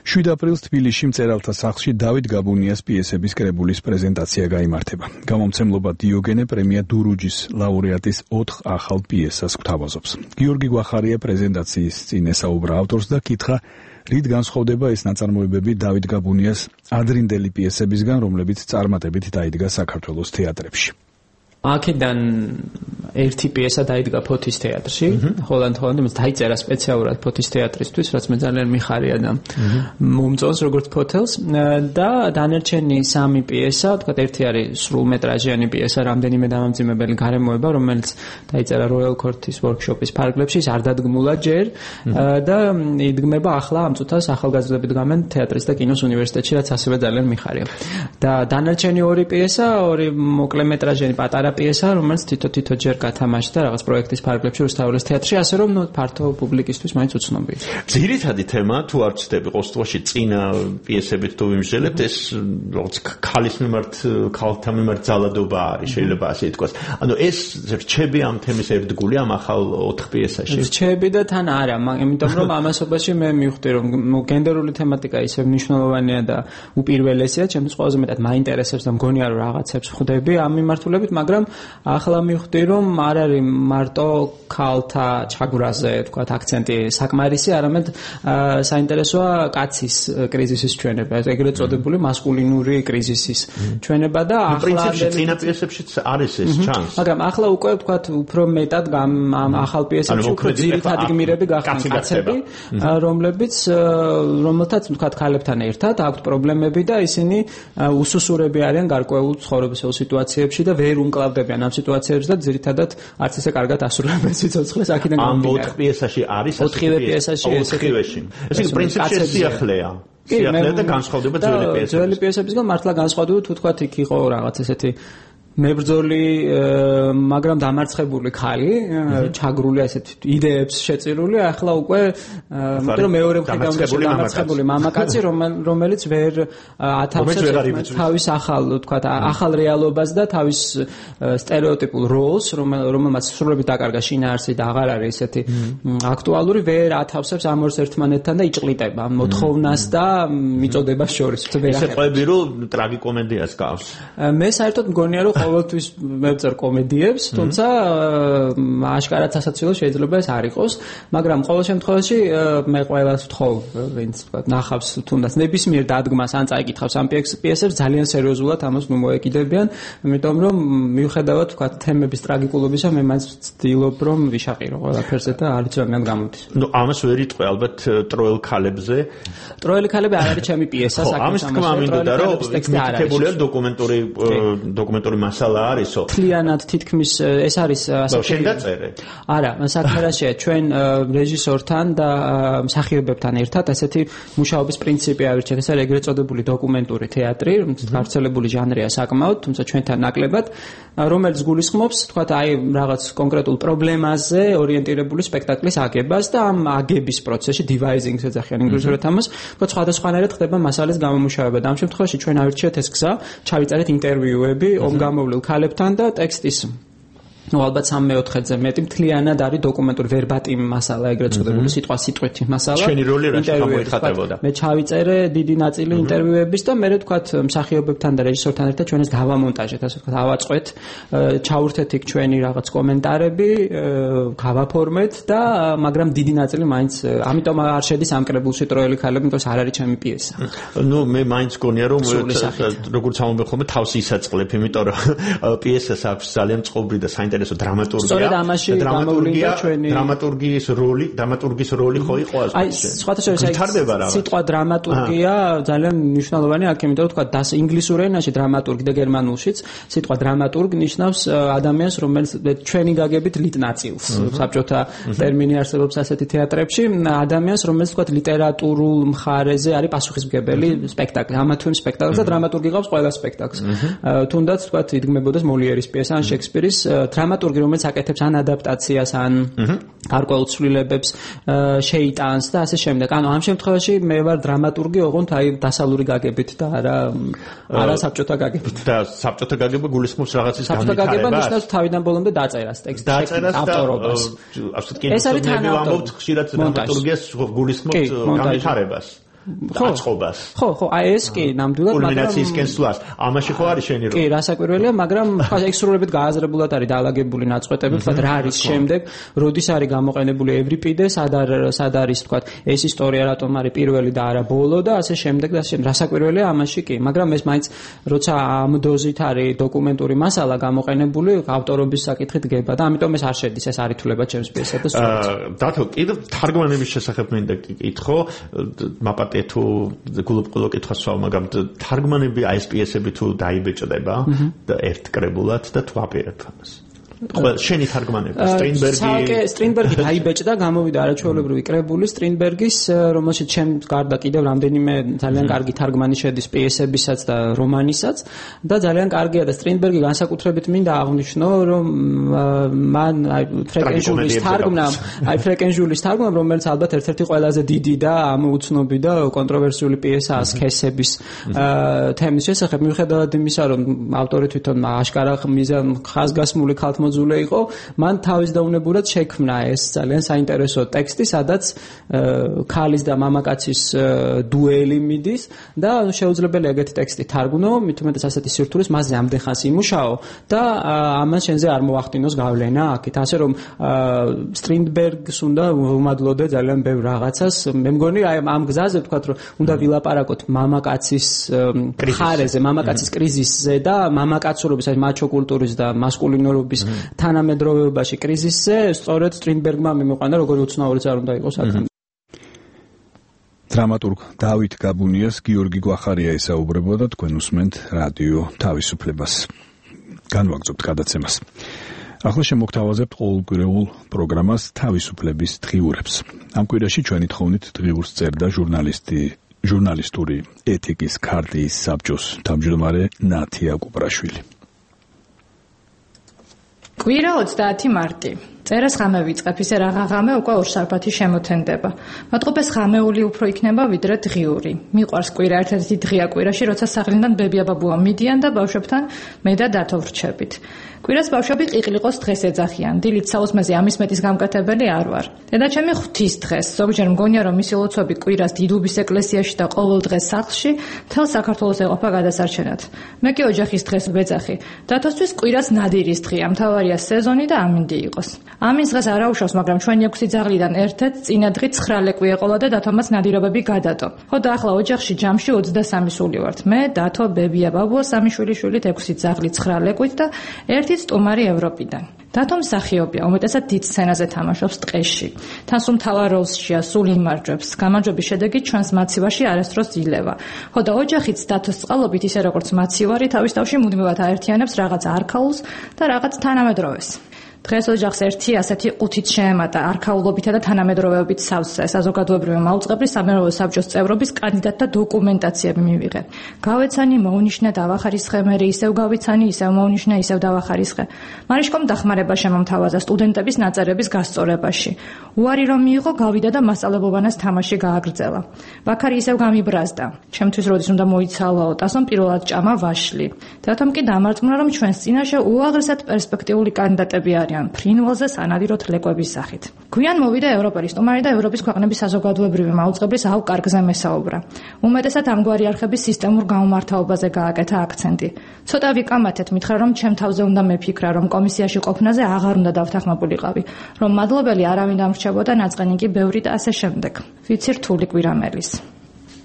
შვიდ აპრილს თბილისში მწერალთა სახლში დავით გაბუნიას პიესების კრებულის პრეზენტაცია გაიმართება. გამომცემლობა დიოგენე პრემია დურუჯის ლაურეატის ოთხ ახალ პიესას გვთავაზობს. გიორგი გვახარია პრეზენტაციის წინ ესაუბრა ავტორს და კითხა, რით განსხვავდება ეს ნაწარმოებები დავით გაბუნიას ადრინდელი პიესებისგან, რომლებიც წარმატებით დაიდგა საქართველოს თეატრებში. აქედან ერთი პიესა დაიდგა ფოთის თეატრში, ჰოლანდ-ჰოლანდში, მას დაიწერა სპეციალურად ფოთის თეატრისთვის, რაც მე ძალიან მიხარია და მომწონს როგორც ფოთელს და დანარჩენი სამი პიესა, თქვათ ერთი არის სრულმეტრაჟიანი პიესა, რამდენიმე დამამძიმებელი გარემოება, რომელიც დაიწერა Royal Court-ის workshop-ის ფარგლებში, არ დადგმულა ჯერ და იდგმება ახლა ამ წუთას ახალგაზრდები დგამენ თეატრის და კინოს უნივერსიტეტში, რაც ასევე ძალიან მიხარია. და დანარჩენი ორი პიესა, ორი მოკლემეტრაჟიანი პატარა პიესა, რომელიც თითო-თითო ჯერ გათამაშდა რაღაც პროექტის ფარგლებში რუსთაველის თეატრში, ასე რომ ნუ ფართო პუბლიკისთვის მაინც უცნობია. ძირითადი თემა თუ არ ვცდები ყოველთვის წინა პიესებით თუ ვიმსჯელებთ, ეს როგორც ქალის მიმართ, ქალთა მიმართ ძალადობა არის, შეიძლება ასე ითქვას. ანუ ეს რჩები ამ თემის ერთგული ამ ახალ ოთხ პიესაში. რჩები და თან არა, იმიტომ რომ ამასობაში მე მივხვდი რომ გენდერული თემატიკა ისე მნიშვნელოვანია და უპირველესია, ჩემთვის ყველაზე მეტად მაინტერესებს და მგონია რომ რაღაცებს ხვდები ამ მიმართულებით, მაგრამ ახლა მივხვდი რომ არ არის მარტო ქალთა ჩაგვრაზე, თქვათ, აქცენტი საკმარისი, არამედ საინტერესოა კაცის კრიზისის ჩვენება, ეგრეთ წოდებული მასკულინური კრიზისის ჩვენება და ახლა პრინციპში წინა პიესებშიც არის ეს ჩანს. მაგრამ ახლა უკვე თქვათ უფრო მეტად ამ ახალ პიესებში უფრო ძირითადი გმირები გახდნენ კაცები, რომლებიც რომელთაც თქვათ ქალებთან ერთად აქვთ პრობლემები და ისინი უსუსურები არიან გარკვეულ ცხოვრებისეულ სიტუაციებში და ვერ უმკლავდებიან ამ სიტუაციებს და ძირითადად არც ისე კარგად ასრულებენ სიცოცხლეს აქედან გამომდინარე. ამ ოთხ პიესაში არის ოთხივე პიესაში ოთხივეში. ეს იგი პრინციპში სიახლეა. სიახლეა და განსხვავდება ძველი პიესებისგან. ძველი პიესებისგან მართლა განსხვავდება თუ თქვათ იქ იყო რაღაც ესეთი მებრძოლი, მაგრამ დამარცხებული ქალი, ჩაგრული ასეთ იდეებს შეწირული, ახლა უკვე იმიტომ რომ მეორე მხრიდან დამარცხებული მამაკაცი, რომელიც ვერ ათავსებს თავის ახალ, თქვათ, ახალ რეალობას და თავის სტერეოტიპულ როლს, რომელმაც სრულებით დაკარგა შინაარსი და აღარ არის ესეთი აქტუალური, ვერ ათავსებს ამ ორს ერთმანეთთან და იჭყლიტება მოთხოვნას და მიწოდებას შორის. ესე ყვები რომ ტრაგიკომედიას გავს. მე საერთოდ მგონია რომ ყოველთვის მევწერ კომედიებს, თუმცა აშკარად სასაცილო შეიძლება ეს არ იყოს, მაგრამ ყოველ შემთხვევაში მე ყველას ვთხოვ, ვინც თქვა ნახავს თუნდაც ნებისმიერ დადგმას ან წაიკითხავს ამ პიესებს, ძალიან სერიოზულად ამას ნუ მოეკიდებიან, იმიტომ რომ მიუხედავად თქვა თემების ტრაგიკულობისა, მე მაინც ვცდილობ რომ ვიშაყირო ყველაფერზე და არ იცი რადგან გამოდის. ნუ ამას ვერ იტყვი ალბათ ტროელ ქალებზე. ტროელი ქალები არ არის ჩემი პიესა, საქმე ამას თქმა მინდოდა რომ მითითებულია დოკუმენტური დოკუმენტური მასალა არისო. თლიანად თითქმის ეს არის ასე შენ დაწერე. არა, საქმე რაშია, ჩვენ რეჟისორთან და მსახიობებთან ერთად ასეთი მუშაობის პრინციპი ავირჩიეთ. ეს არის ეგრეთ წოდებული დოკუმენტური თეატრი, გავრცელებული ჟანრია საკმაოდ, თუმცა ჩვენთან ნაკლებად, რომელიც გულისხმობს, თქვათ, აი რაღაც კონკრეტულ პრობლემაზე ორიენტირებული სპექტაკლის აგებას და ამ აგების პროცესში devising-ს ეძახიან ინგლისურად ამას, თქვათ, სხვადასხვანაირად ხდება მასალის გამომუშავება და ამ შემთხვევაში ჩვენ ავირჩიეთ ეს გზა, ჩავიწერეთ ინტერვიუები ომგამოვლილ ქალებთან და ტექსტის ну ალბათ სამი-მეოთხედზე მეტი მთლიანად არის დოკუმენტური ვერბატიმ მასალა, ეგრეთ წოდებული სიტყვა სიტყვით მასალა. ჩვენი როლი რა გამოიხატებოდა? მე ჩავიწერე დიდი ნაწილი ინტერვიუების და მე თქვათ მსახიობებთან და რეჟისორთან ერთად ჩვენ ეს გავამონტაჟეთ, ასე ვთქვათ, ავაწყვეთ, ჩაურთეთ იქ ჩვენი რაღაც კომენტარები, გავაფორმეთ და მაგრამ დიდი ნაწილი მაინც ამიტომ არ შედის ამ კრებულში ტროელი ქალები, იმიტომ რომ არ არის ჩემი პიესა. ну მე მაინც გონია რომ როგორც ამბობ ხოლმე თავს ისაწყლებ, იმიტომ რომ პიესას აქვს ძალიან წყობრი და საინტერესო დრამატურგია. სწორედ ამაში გამოვლინდა ჩვენი დრამატურგიის როლი, დრამატურგის როლი ხო იყო ასე. აი, სხვათა შორის სიტყვა დრამატურგია ძალიან მნიშვნელოვანია, აქ იმიტომ რომ თქვა დას ინგლისურ ენაში დრამატურგი და გერმანულშიც სიტყვა დრამატურგ ნიშნავს ადამიანს, რომელიც ჩვენი გაგებით ლიტნაწილს. საბჭოთა ტერმინი არსებობს ასეთი თეატრებში, ადამიანს, რომელიც თქვა ლიტერატურულ მხარეზე არის პასუხისმგებელი სპექტაკლი. ამა თუ იმ სპექტაკლს და დრამატურგი ყავს ყველა სპექტაკლს. თუნდაც თქვა იდგმებოდეს მოლიერის პიესა ან შექსპირის დრამატურგი, რომელიც აკეთებს ან ადაპტაციას, ან გარკვეულ ცვლილებებს შეიტანს და ასე შემდეგ. ანუ ამ შემთხვევაში მე ვარ დრამატურგი, ოღონდ აი დასავლური გაგებით და არა არა საბჭოთა გაგებით. და საბჭოთა გაგება გულისხმობს რაღაცის განვითარებას. საბჭოთა გაგება ნიშნავს თავიდან ბოლომდე დაწერას, ტექსტის ავტორობას. ეს არის თანაავტორი. ვამბობთ ხშირად დრამატურგიას გულისხმობს განვითარებას. აწყობას. ხო, ხო, აი ეს კი ნამდვილად, მაგრამ კულმინაციის კენსლას. ამაში ხო არის შენი როლი? კი, რასაკვირველია, მაგრამ ხა ექსტრულებად გააზრებულად არის დაალაგებული ნაწყვეტები, თქვა რა არის შემდეგ, როდის არის გამოყენებული ევრიპიდე, სად სად არის თქვა ეს ისტორია რატომ არის პირველი და არა ბოლო და ასე შემდეგ და ასე შემდეგ. რასაკვირველია ამაში კი, მაგრამ ეს მაინც როცა ამ დოზით არის დოკუმენტური მასალა გამოყენებული, ავტორობის საკითხით გება და ამიტომ ეს არ შედის, ეს არ ითვლება ჩემს პიესად და სწორად. დათო, კიდევ თარგმანების შესახებ მინდა კითხო, მაპატე თუ გულუბრყვილო კითხვას ვსვამ, მაგრამ თარგმანები აი ეს პიესები თუ დაიბეჭდება და ერთკრებულად და თუ აპირებ ამას. ყველა შენი თარგმანები სტრინბერგი სააკე სტრინბერგი დაიბეჭდა, გამოვიდა არაჩვეულებრივი კრებული სტრინბერგის, რომელშიც ჩემ გარდა კიდევ რამდენიმე ძალიან კარგი თარგმანი შედის პიესებისაც და რომანისაც და ძალიან კარგია და სტრინბერგი განსაკუთრებით მინდა აღვნიშნო, რომ მან აი ფრეკენჟულის თარგმნა, აი ფრეკენჟულის თარგმნა, რომელიც ალბათ ერთ-ერთი ყველაზე დიდი და ამოუცნობი და კონტროვერსიული პიესაა სქესების თემის შესახებ, მიუხედავად იმისა, რომ ავტორი თვითონ აშკარა მიზან ხაზგასმული ქალთ მოძულე იყო, მან თავის დაუნებურად შექმნა ეს ძალიან საინტერესო ტექსტი, სადაც ქალის და მამაკაცის დუელი მიდის და შეუძლებელია ეგეთი ტექსტი თარგმნო, მით უმეტეს ასეთი სირთულეს მასზე ამდენ ხანს იმუშაო და ამას შენზე არ მოახდინოს გავლენა აქეთ. ასე რომ სტრინბერგს უნდა ვუმადლოდე ძალიან ბევრ რაღაცას. მე მგონი აი ამ გზაზე ვთქვათ, რომ უნდა ვილაპარაკოთ მამაკაცის ხარეზე, მამაკაცის კრიზისზე და მამაკაცურობის, აი მაჩო კულტურის და მასკულინურობის თანამედროვეობაში კრიზისზე, სწორედ სტრინბერგმა მიმოყვანა, როგორი უცნაურიც არ უნდა იყოს აქ. დრამატურგ დავით გაბუნიას გიორგი გვახარია ესაუბრებოდა, თქვენ უსმენთ რადიო თავისუფლებას. განვაგრძობთ გადაცემას. ახლა შემოგთავაზებთ ყოველკვირეულ პროგრამას თავისუფლების დღიურებს. ამ კვირაში ჩვენი თხოვნით დღიურს წერდა ჟურნალისტი ჟურნალისტური ეთიკის ქარტიის საბჭოს თავმჯდომარე ნათია კუპრაშვილი. კვირა ოცდაათი მარტი. წერას ღამე ვიწყებ, ისე რაღა ღამე უკვე ორშაბათი შემოთენდება. მათყოფეს ღამეული უფრო იქნება ვიდრე დღიური. მიყვარს კვირა, ერთ-ერთი დღეა კვირაში, როცა სახლიდან ბებია ბაბუა მიდიან და ბავშვებთან მე და დათო ვრჩებით. კვირას ბავშვები ყიყლიყოს დღეს ეძახიან. დილით საოცმეზე ამის მეტის გამკეთებელი არ ვარ. დედაჩემი ღვთის დღეს, ზოგჯერ მგონია რომ მისი ლოცვები კვირას დიდუბის ეკლესიაში და ყოველ დღეს სახლში მთელ საქართველოს ეყოფა გადასარჩენად. მე კი ოჯახის დღეს ვეძახი. დათოსთვის კვირას ნადირის დღეა, მთავარია სეზონი და ამინდი იყოს. ამის დღეს არ აუშავს, მაგრამ ჩვენი ექვსი ძაღლიდან ერთ-ერთ წინა დღით ცხრა ლეკვი ეყოლა და დათომაც ნადირობები გადადო. ხო და ახლა ოჯახში ჯამში ოცდასამი სული ვართ. მე, დათო, ბებია, ბაბუა, სამი შვილიშვილით, ექვსი ძაღლი ცხრა ლეკვით და ერთი სტუმარი ევროპიდან. დათო მსახიობია, უმეტესად დიდ სცენაზე თამაშობს ტყეში. თან სულ მთავარ როლშია, სულ იმარჯვებს. გამარჯვების შედეგი ჩვენს მაცივარში არასდროს ილევა. ხო და ოჯახიც დათოს წყალობით, ისე როგორც მაცივარი, თავის თავში მუდმივად აერთიანებს რაღაც არქაულს და რაღაც თანამედროვეს. დღეს ოჯახს ერთი ასეთი ყუთით შეემატა არქაულობითა და თანამედროვეობით სავსე საზოგადოებრივი მაუწყებლის სამეურნეო საბჭოს წევრობის კანდიდატთა დოკუმენტაციები მივიღე. გავეცანი, მოვნიშნე, დავახარისხე, მე ისევ გავიცანი, ისევ მოვნიშნე, ისევ დავახარისხე. მარიშკომ დახმარება შემომთავაზა სტუდენტების ნაწერების გასწორებაში. უარი რომ მიიღო, გავიდა და მასწავლებელბანას თამაში გააგრძელა. ვაქარი ისევ გამიბრაზდა. ჩემთვის როდის უნდა მოიცალაო, ტასომ პირველად ჭამა ვაშლი. დათომ კი დამარწმუნა, რომ ჩვენს წინაშე უაღრესად პერსპექტიული კანდიდატები არიან. ფრინველზე სანადიროთ ლეკვების სახით. გვიან მოვიდა ევროპელი სტუმარი და ევროპის ქვეყნების საზოგადოებრივი მაუწყებლის აუ კარგზე მესაუბრა. უმეტესად ამგვარი არხების სისტემურ გამომართავობაზე გააკეთა აქცენტი. ცოტა ვიკამათეთ, მითხრა რომ ჩემ თავზე უნდა მეფიქრა, რომ კომისიაში ყოფნაზე აღარ უნდა დავთანხმებულიყავი, რომ მადლობელი არავინ დამრჩებოდა, ნაწყენი კი ბევრი და ასე შემდეგ. ვიცი რთული კვირამელის.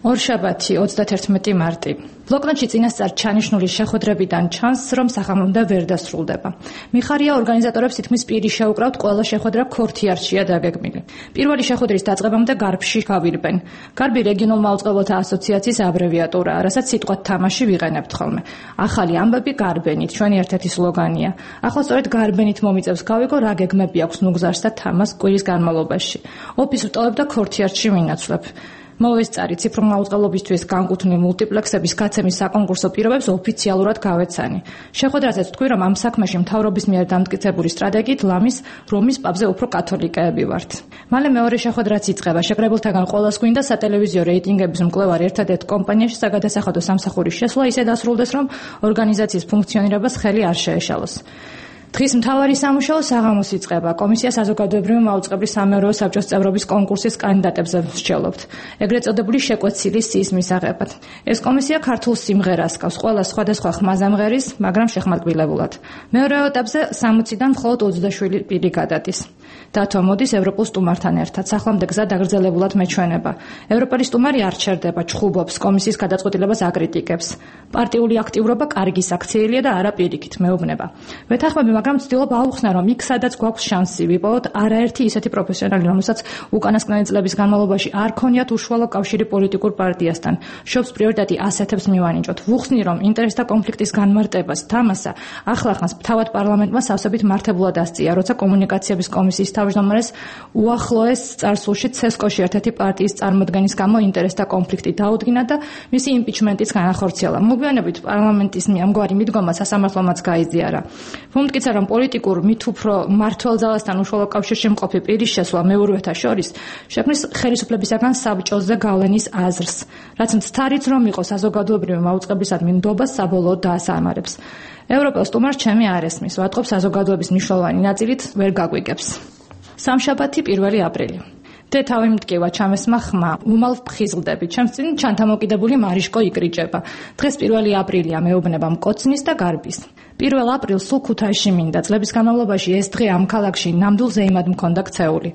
ორშაბათი ოცდათერთმეტი მარტი. ბლოკნოტში წინასწარ ჩანიშნული შეხვედრებიდან ჩანს, რომ სახამრუნდა ვერ დასრულდება. მიხარია ორგანიზატორებს თითქმის პირი შეუკრავთ ყველა შეხვედრა ქორთიარშია დაგეგმილი. პირველი შეხვედრის დაწყებამდე გარბში გავირბენ. გარბი რეგიონულ მაუწყებლთა ასოციაციის აბრევიატურაა, რასაც სიტყვა თამაში ვიყენებთ ხოლმე. ახალი ამბები გარბენით, ჩვენი ერთ-ერთი სლოგანია. ახლა სწორედ გარბენით მომიწევს გავიგო რა გეგმები აქვს ნუგზარს და თამას კვირის განმავლობაში. ოფისს ვტოვებ და ქორთიარში ვინაცვლებ. მოვესწარი ციფრულ მაუწყებლობისთვის განკუთვნილ მულტიპლექსების გაცემის საკონკურსო პირობებს ოფიციალურად გავეცანი. შეხვედრაზეც თქვი, რომ ამ საქმეში მთავრობის მიერ დამტკიცებული სტრატეგიით ლამის რომის პაპზე უფრო კათოლიკეები ვართ. მალე მეორე შეხვედრაც იწყება. შეკრებილთაგან ყველას გვინდა სატელევიზიო რეიტინგების მკვლევარი ერთადერთ კომპანიაში საგადასახადო სამსახურის შესვლა ისე დასრულდეს, რომ ორგანიზაციის ფუნქციონირებას ხელი არ შეეშალოს. დღის მთავარი სამუშაო საღამოს იწყება. კომისია საზოგადოებრივი მაუწყებლის სამეურვეო საბჭოს წევრობის კონკურსის კანდიდატებზე მსჯელობთ, ეგრეთ წოდებული შეკვეცილი სიის მისაღებად. ეს კომისია ქართულ სიმღერას გავს ყველა სხვადასხვა ხმაზამღერის, მაგრამ შეხმატკილებულად. მეორე ეტაპზე სამოციდან მხოლოდ ოცდაშვიდი პირი გადადის. დათო მოდის ევროპულ სტუმართან ერთად. სახლამდე გზა დაგრძელებულად მეჩვენება. ევროპელი სტუმარი არ ჩერდება, ჩხუბობს, კომისიის გადაწყვეტილებას აკრიტიკებს. პარტიული აქტიურობა კარგი საქციელია და არა პირიქით მეუბნება. ვეთანხმები, მაგრამ ვცდილობ აუხსნა, რომ იქ სადაც გვაქვს შანსი ვიპოვოთ არაერთი ისეთი პროფესიონალი, რომელსაც უკანასკნელი წლების განმავლობაში არ ქონიათ უშუალო კავშირი პოლიტიკურ პარტიასთან. შობს პრიორიტეტი ასეთებს მივანიჭოთ. ვუხსნი, რომ ინტერესთა კონფლიქტის განმარტებას თამასა ახლახანს თავად პარლამენტმა სავსებით მართებულად ასწია, როცა კომუნიკაციების კომისიის თავმჯდომარეს უახლოეს წარსულში ცესკოში ერთ-ერთი პარტიის წარმოდგენის გამო ინტერესთა კონფლიქტი დაუდგინა და მისი იმპიჩმენტიც განახორციელა. მოგვიანებით პარლამენტის ამგვარი მიდგომა სასამართლომაც გაიზიარა. ვუმტკიცა, რომ პოლიტიკურ მით უფრო მმართველ ძალასთან უშუალო კავშირში მყოფი პირის შესვლა მეურვეთა შორის შექმნის ხელისუფლებისაგან საბჭოზე გავლენის აზრს, რაც მცდარიც რომ იყო საზოგადოებრივი მაუწყებლისადმი ნდობას საბოლოოდ დაასამარებს. ევროპელ სტუმარს ჩემი არ ესმის, ვატყობ საზოგადოების მნიშვნელოვანი ნაწილით ვერ გაგვიგებს. სამშაბათი პირველი აპრილი. დე თავი მტკივა ჩამესმა ხმა, უმალ ვფხიზლდები, ჩემს წინ ჩანთამოკიდებული მარიშკო იკრიჭება. დღეს პირველი აპრილია, მეუბნება მკოცნის და გარბის. პირველ აპრილს სულ ქუთაისში მინდა. წლების განმავლობაში ეს დღე ამ ქალაქში ნამდვილ ზეიმად მქონდა ქცეული.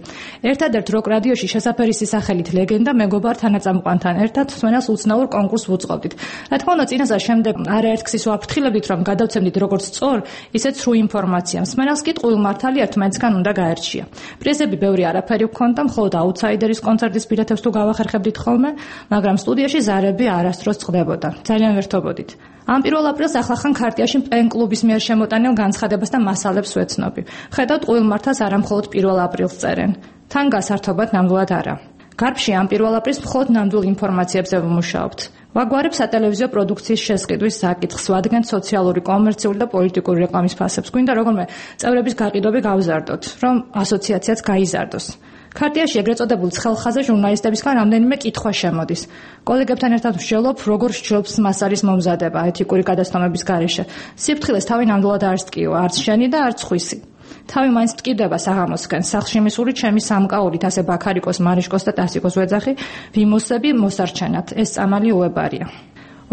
ერთადერთ როკ რადიოში შესაფერისი სახელით ლეგენდა მეგობარ თანაწამყვანთან ერთად სვენელს უცნაურ კონკურსს ვუწყობდით. რა თქმა უნდა, წინასწარ შემდეგ არაერთ ქსის ვაფრთხილებდით, რომ გადავცემდით როგორც სწორ, ისე სრულ ინფორმაციას. სვენელს კი ტყუილ მართალი ერთმანეთსგან უნდა გაერჩია. პრიზები ბევრი არაფერი ვქონდა, მხოლოდ აუთსაიდერის კონცერტის ბილეთებს თუ გავახერხებდით ხოლმე, მაგრამ სტუდიაში ზარები არასდროს წყდებოდა. ძალიან ვერთობოდით. ამ პირველ აპრილს ახლახან ქარტიაში პენ-კლუბის მიერ შემოტანილ განცხადებას და მასალებს ვეცნობი. ხედავთ, ტყუილ მართალს არა მხოლოდ პირველ აპრილს წერენ. თან გასართობად ნამდვილად არა. გარბში ამ პირველ აპრილს მხოლოდ ნამდვილ ინფორმაციებზე ვმუშაობთ. ვაგვარებ სატელევიზიო პროდუქციის შესყიდვის საკითხს, ვადგენთ სოციალური, კომერციული და პოლიტიკური რეკლამის ფასებს. გვინდა როგორმე წევრების გაყიდვები გავზარდოთ, რომ ასოციაციაც გაიზარდოს. ქარტიაში ეგრეთ წოდებულ ცხელხაზე ჟურნალისტებისგან რამდენიმე კითხვა შემოდის. კოლეგებთან ერთად ვშელობ, როგორ სჯობს მასალის მომზადება ეთიკური გადაცდომების გარეშე. სიფრთხილეს თავი ნამდვილად არ სტკიო, არც შენი და არც ხვისი. თავი მაინც ტკიდება საღამოსკენ, სახლში მისული ჩემი სამკაულით, ასე ბაქარიკოს, მარიშკოს და ტასიკოს ვეძახი, ვიმოსები მოსარჩენად. ეს წამალი უებარია.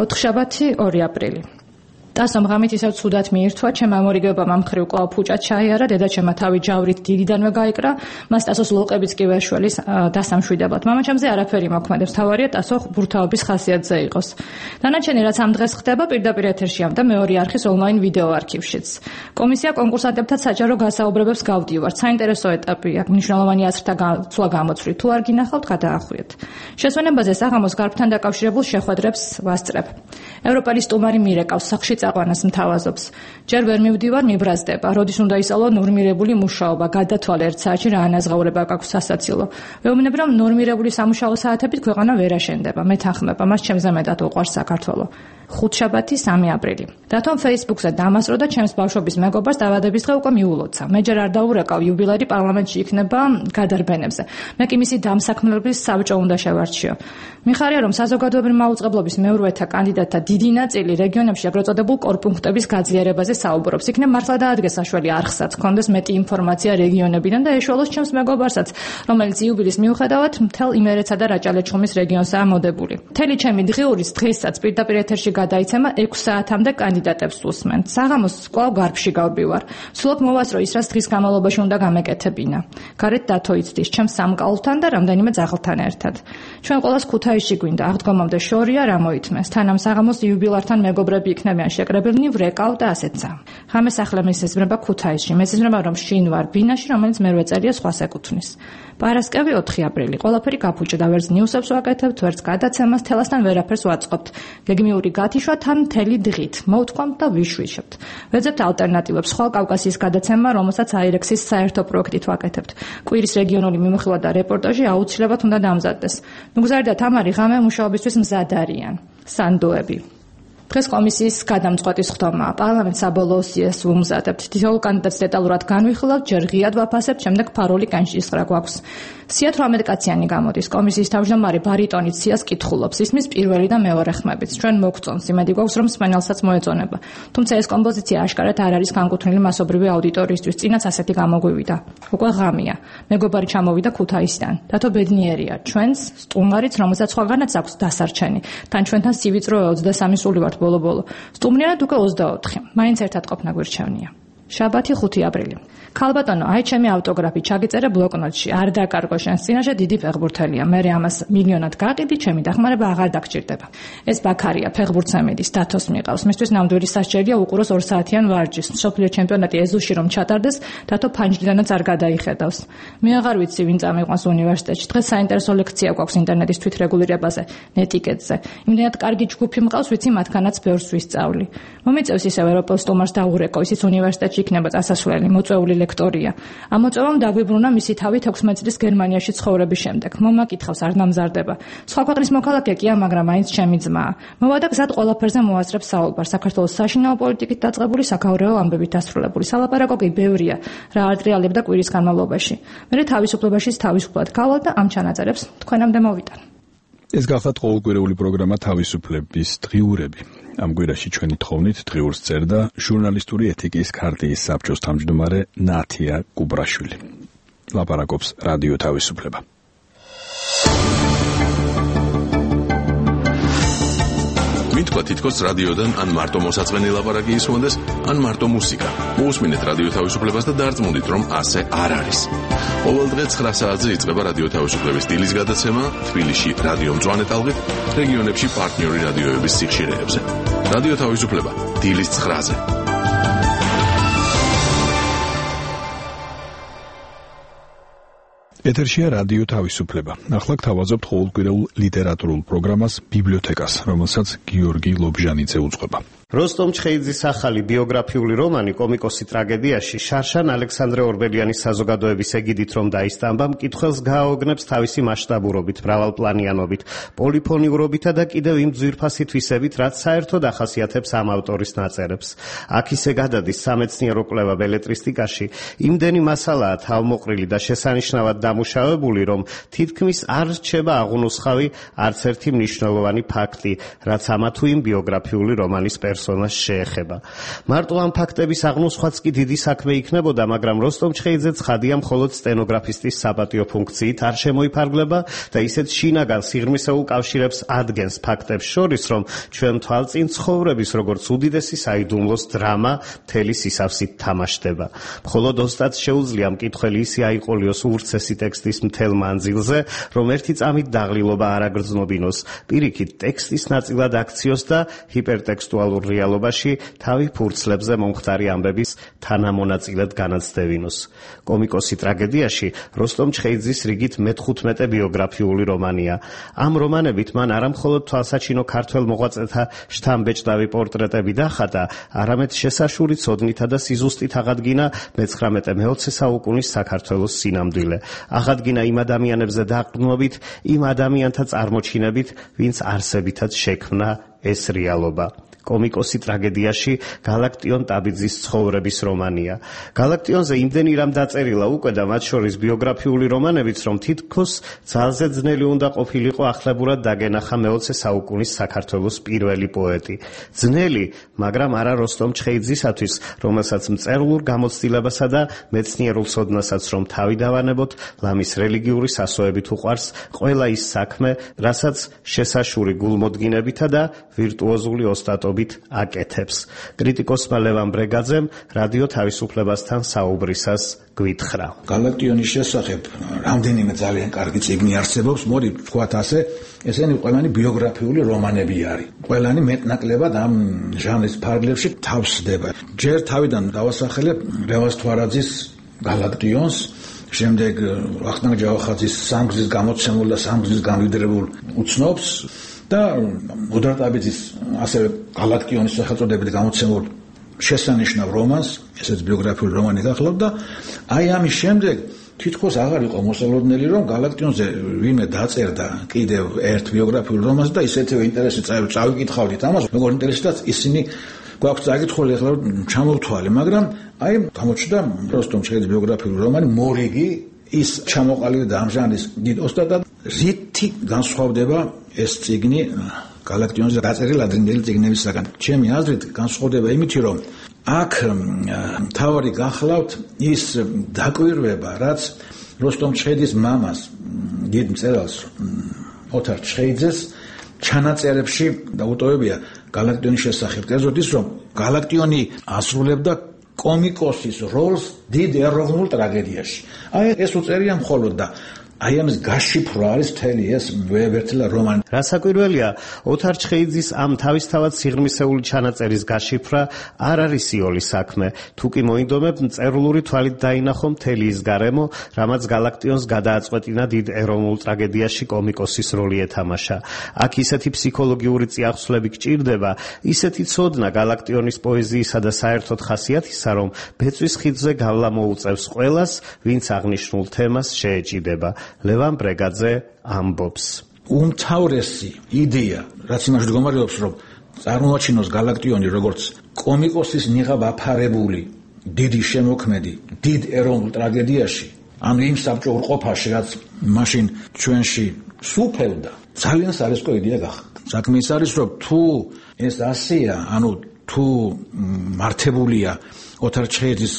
ოთხშაბათი ორი აპრილი. ტასომ ღამით ისევ ცუდად მიირთვა, ჩემ ამორიგებამ ამ მხრივ კვლავ ფუჭად ჩაიარა, დედაჩემმა თავი ჯავრით დიდიდანვე გაიკრა, მას ტასოს ლოყებიც კი ვერ შველის დასამშვიდებად. მამაჩემზე არაფერი მოქმედებს, თავარია ტასო ბურთაობის ხასიათზე იყოს. დანარჩენი რაც ამ დღეს ხდება, პირდაპირ ეთერშია და მეორე არხის ონლაინ ვიდეო არქივშიც. კომისია კონკურსანტებთან საჯარო გასაუბრებებს გავდივართ. საინტერესო ეტაპია, მნიშვნელოვანი აზრთა გაცვლა გამოცვლით. თუ არ გინახავთ, გადაახვიეთ. შესვენებაზე საღამოს გარბთან დაკავშირებულ შეხვედრებს ვასწრებ. ევროპელი სტუმარი მირეკავს სახლში აყვანას მთავაზობს. ჯერ ვერ მივდივარ, მიბრაზდება. როდის უნდა ისწავლო ნორმირებული მუშაობა, გადათვალე ერთ საათში რა ანაზღაურება გაქვს სასაცილო. ვეუბნებ, რომ ნორმირებული სამუშაო საათებით ქვეყანა ვერ აშენდება. მეთანხმება, მას ჩემზე მეტად უყვარს საქართველო. ხუთშაბათი სამი აპრილი. დათომ Facebook-ზე დამასრო და ჩემს ბავშვობის მეგობარს დავადების დღე უკვე მიულოცა. მე ჯერ არ დაურეკავ, იუბილეი პარლამენტში იქნება გადარბენებზე. მე კი მისი დამსაქმებლობის საბჭო უნდა შევარჩიო. მიხარია, რომ საზოგადოებრივი მაუწყებლობის მეურვეთა კანდიდატთა დიდი ნაწილი რეგიონებში ეგრეთ წოდებულ კორპუნქტების გაძლიერებაზე საუბრობს. იქნებ მართლა დაადგეს საშველი არხსაც, კონდეს მეტი ინფორმაცია რეგიონებიდან და ეშველოს ჩემს მეგობარსაც, რომელიც იუბილის მიუხედავად მთელ იმერეთსა და რაჭა-ლეჩხუმის რეგიონსაა მოდებული. მთელი ჩემი დღიურის დღესაც პირდაპირ ეთერში გადაიცემა ექვს საათამდე კანდიდატებს უსმენთ. საღამოს კვლავ გარბში გავდივარ. სულობ მოვასწრო ის, რაც დღის განმავლობაში უნდა გამეკეთებინა. გარეთ დათო იცდის, ჩემს სამკაულთან და რამდენიმე ძაღლთან ერთად. ჩვენ ყოველას ქუთაისში გვინდა, აღდგომამდე შორია რა მოითმეს. თან ამ საღამოს იუბილართან მეგობრები იქნებიან შეკრებილნი, ვრეკავ და ასეცა. ღამე სახლე მისეზრება ქუთაისში. მესიზრება, რომ შინ ვარ ბინაში, რომელიც მერვე წერია სხვას ეკუთვნის. პარასკევი ოთხი აპრილი. ყველაფერი გაფუჭდა, ვერც ნიუსებს ვაკეთებთ, ვერც გადაცემას, თელასთან ვერაფერს ვაწყობთ. გეგმიური გათიშვა თან მთელი დღით. მოვთქვამთ და ვიშვიშებთ. ვეძებთ ალტერნატივებს, ხვალ კავკასიის გადაცემა, რომელსაც აირექსის საერთო პროექტით ვაკეთებთ. კვირის რეგიონული მიმოხილვა და რეპორტაჟი აუცილებლად უნდა დამზადდეს. ნუგზარი და თამარი ღამე მუშაობისთვის მზად არიან. სანდოები. დღეს კომისიის გადამწყვეტი სხდომაა. პარლამენტს საბოლოო სიას ვუმზადებთ. თითოეულ კანდიდატს დეტალურად განვიხილავთ, ჯერ ღიად ვაფასებთ, შემდეგ ფარული კანჭისყრა გვაქვს. სია თვრამეტ კაციანი გამოდის. კომისიის თავმჯდომარე ბარიტონით სიას კითხულობს. ისმის პირველი და მეორე ხმებით. ჩვენ მოგწონს, იმედი გვაქვს, რომ მსმენელსაც მოეწონება. თუმცა ეს კომპოზიცია აშკარად არ არის განკუთვნილი მასობრივი აუდიტორიისთვის. წინაც ასეთი გამოგვივიდა. უკვე ღამეა. მეგობარი ჩამოვიდა ქუთაისიდან. დათო ბედნიერია. ჩვენს სტუმარიც, რომელსაც სხვაგანაც აქვს დასარჩენი. თან ჩვენთან სივიწრო ოცდასამი სული ვართ ბოლო-ბოლო. სტუმრიანად უკვე ოცდაოთხი. მაინც ერთად ყოფნა გვირჩევნია. შაბათი ხუთი აპრილი. ქალბატონო, აი ჩემი ავტოგრაფი ჩაგიწერე ბლოკნოტში. არ დაკარგო შენს წინაშე დიდი ფეხბურთელია. მე ამას მილიონად გაყიდი, ჩემი დახმარება აღარ დაგჭირდება. ეს ბაქარია, ფეხბურთსამედის დათოს მიყავს. მისთვის ნამდვილი სასჯელია უყუროს ორ საათიან ვარჯიშს. მსოფლიო ჩემპიონატი ეზოში რომ ჩატარდეს, დათო ფანჯრიდანაც არ გადაიხედავს. მე აღარ ვიცი ვინ წამიყვანს უნივერსიტეტში. დღეს საინტერესო ლექცია გვაქვს ინტერნეტის თვითრეგულირებაზე, ნეტიკეტზე. იმდენად კარგი ჯგუფი მყავს, ვიცი მათგანაც ბევრს ვისწავლი. მომიწევს ისევ ევროპელ სტუმარს დაურეკო, ისიც უნივერსიტეტში იქნება წასასვლელი, მოწვეული ლექტორია. ამ მოწვევამ დაგვიბრუნა მისი თავი თექვსმეტ წლის გერმანიაში ცხოვრების შემდეგ. მომაკითხავს არ დამზარდება. სხვა ქვეყნის მოქალაქე კია, მაგრამ მაინც ჩემი ძმაა. მოვადა გზად ყველაფერზე მოასწრებს საუბარს. საქართველოს საშინაო პოლიტიკით დაწყებული, საკავრეო ამბებით დასრულებული. სალაპარაკო კი ბევრია, რა არტრიალებდა კვირის განმავლობაში. მე თავისუფლებაშიც თავისუფლად გავვალ და ამ ჩანაწერებს თქვენამდე მოვიტან. ეს გახლავთ ყოველკვირეული პროგრამა თავისუფლების დღიურები. ამ კვირაში ჩვენი თხოვნით დღიურს წერდა ჟურნალისტური ეთიკის ქარტიის საბჭოს თავმჯდომარე ნათია კუბრაშვილი. ლაპარაკობს რადიო თავისუფლება. მითქვა თითქოს რადიოდან ან მარტო მოსაწყენი ლაპარაკი ისმონდეს, ან მარტო მუსიკა. მოусმინეთ რადიო თავისუფლებას და დარწმუნდით, რომ ასე არ არის. ყოველ დღე ცხრა საათზე იწყება რადიო თავისუფლების დილის გადაცემა თბილისში რადიო მწვანე ტალღით, რეგიონებში პარტნიორი რადიოების სიხშირეებზე. რადიო თავისუფლება დილის ცხრაზე. ეთერშია რადიო თავისუფლება. ახლა გთავაზობთ ყოველკვირეულ ლიტერატურულ პროგრამას ბიბლიოთეკას, რომელსაც გიორგი ლობჟანიძე უძღვება. როსტომ ჩხეიძის ახალი ბიოგრაფიული რომანი კომიკოსი ტრაგედიაში შარშან ალექსანდრე ორბელიანის საზოგადოების ეგიდით რომ დაისტამბა, მკითხველს გააოგნებს თავისი მასშტაბურობით, მრავალპლანიანობით, პოლიფონიურობითა და კიდევ იმ ძვირფასი თვისებით, რაც საერთოდ ახასიათებს ამ ავტორის ნაწერებს. აქ ისე გადადის სამეცნიერო კვლევა ბელეტრისტიკაში, იმდენი მასალაა თავმოყრილი და შესანიშნავად დამუშავებული, რომ თითქმის არ რჩება აღუნუსხავი არც ერთი მნიშვნელოვანი ფაქტი, რაც ამა თუ იმ ბიოგრაფიული რომანის პერსონაჟს შეეხება. მარტო ამ ფაქტების აღნუსხვაც კი დიდი საქმე იქნებოდა, მაგრამ როსტომ ჩხეიძე ცხადია მხოლოდ სტენოგრაფისტის საპატიო ფუნქციით არ შემოიფარგლება და ისეთ შინაგან სიღრმისეულ კავშირებს ადგენს ფაქტებს შორის, რომ ჩვენ თვალწინ ცხოვრების როგორც უდიდესი საიდუმლოს დრამა მთელი სისავსით თამაშდება. მხოლოდ ოსტატს შეუძლია მკითხველი ისე აიყოლიოს ურცესი ტექსტის მთელ მანძილზე, რომ ერთი წამით დაღლილობა არ აგრძნობინოს, პირიქით ტექსტის ნაწილად აქციოს და ჰიპერტექსტუალურ რეალობაში თავი ფურცლებზე მომხდარი ამბების თანამონაწილედ განაცდევინოს. კომიკოსი ტრაგედიაში როსტომ ჩხეიძის რიგით მეთხუთმეტე ბიოგრაფიული რომანია. ამ რომანებით მან არამხოლოდ თვალსაჩინო ქართველ მოღვაწეთა შთამბეჭდავი პორტრეტები დახატა, არამედ შესაშური ცოდნითა და სიზუსტით აღადგინა მეცხრამეტე-მეოცე საუკუნის საქართველოს სინამდვილე. აღადგინა იმ ადამიანებზე დაყრდნობით, იმ ადამიანთა წარმოჩინებით, ვინც არსებითაც შექმნა ეს რეალობა. კომიკოსი ტრაგედიაში გალაქტიონ ტაბიძის ცხოვრების რომანია. გალაქტიონზე იმდენი რამ დაწერილა უკვე და მათ შორის ბიოგრაფიული რომანებიც, რომ თითქოს ძალზე ძნელი უნდა ყოფილიყო ახლებურად დაგენახა მეოცე საუკუნის საქართველოს პირველი პოეტი. ძნელი, მაგრამ არა როსტომ ჩხეიძისათვის, რომელსაც მწერლურ გამოცდილებასა და მეცნიერულ ცოდნასაც რომ თავი დავანებოთ, ლამის რელიგიური სასოებით უყვარს ყველა ის საქმე, რასაც შესაშური გულმოდგინებითა და ვირტუოზული ოსტატობით აკეთებს. კრიტიკოსმა ლევან ბრეგაძემ რადიო თავისუფლებასთან საუბრისას გვითხრა. გალაქტიონის შესახებ რამდენიმე ძალიან კარგი წიგნი არსებობს, მოდი ვთქვათ ასე, ესენი ყველანი ბიოგრაფიული რომანები არის. ყველანი მეტნაკლებად ამ ჟანრის ფარგლებში თავსდება. ჯერ თავიდან დავასახელებ რევაზ თვარაძის გალაქტიონს, შემდეგ ვახტანგ ჯავახაძის სამგზის გამოცემულ და სამგზის გამიდრებულ უცნობს და მოდარ ტაბიძის ასევე გალაქტიონის სახელწოდებით გამოცემულ შესანიშნავ რომანს, ესეც ბიოგრაფიული რომანი გახლავთ და აი ამის შემდეგ თითქოს აღარ იყო მოსალოდნელი, რომ გალაქტიონზე ვინმე დაწერდა კიდევ ერთ ბიოგრაფიულ რომანს და ისეთივე ინტერესი წავიკითხავდით ამას, როგორ ინტერესდაც ისინი გვაქვს წაკითხული ახლა ჩამოვთვალე, მაგრამ აი გამოჩნდა როსტომ ჩხეიძის ბიოგრაფიული რომანი მორიგი, ის ჩამოყალიბდა და ამ ჟანრის დიდ ოსტატად. რითი განსხვავდება ეს წიგნი გალაქტიონზე დაწერილი ადრინდელი წიგნებისაგან? ჩემი აზრით განსხვავდება იმით, რომ აქ თავი გახლავთ ის დაკვირვება, რაც როსტომ ჩხეიძის მამას, დიდ მწერალს ოთარ ჩხეიძეს ჩანაწერებში დაუტოვებია გალაქტიონის შესახებ. კერძოდ ის, რომ გალაქტიონი ასრულებდა კომიკოსის როლს დიდ ეროვნულ ტრაგედიაში. აი ეს უწერია მხოლოდ და აი ამის გაშიფრვა არის მთელი ეს ვეებერთლა რომანი. რასაკვირველია, ოთარ ჩხეიძის ამ თავისთავად სიღრმისეული ჩანაწერის გაშიფრვა არ არის იოლი საქმე, თუ კი მოინდომებ მწერლური თვალით დაინახო მთელი ის გარემო, რამაც გალაქტიონს გადააწყვეტინა დიდ ეროვნულ ტრაგედიაში კომიკოსის როლი ეთამაშა. აქ ისეთი ფსიქოლოგიური წიაღსვლები გჭირდება, ისეთი ცოდნა გალაქტიონის პოეზიისა და საერთოდ ხასიათისა, რომ ბეწვის ხიდზე გავლა მოუწევს ყველას, ვინც აღნიშნულ თემას შეეჭიდება. ლევან ბრეგაძე ამბობს. უმთავრესი იდეა, რაც იმაში მდგომარეობს, რომ წარმოაჩინოს გალაქტიონი როგორც კომიკოსის ნიღაბ აფარებული დიდი შემოქმედი დიდ ეროვნულ ტრაგედიაში, ანუ იმ საბჭოურ ყოფაში, რაც მაშინ ჩვენში სუფევდა, ძალიან სარისკო იდეა გახდა. საქმე ის არის, რომ თუ ეს ასეა, ანუ თუ მართებულია ოთარ ჩხეიძის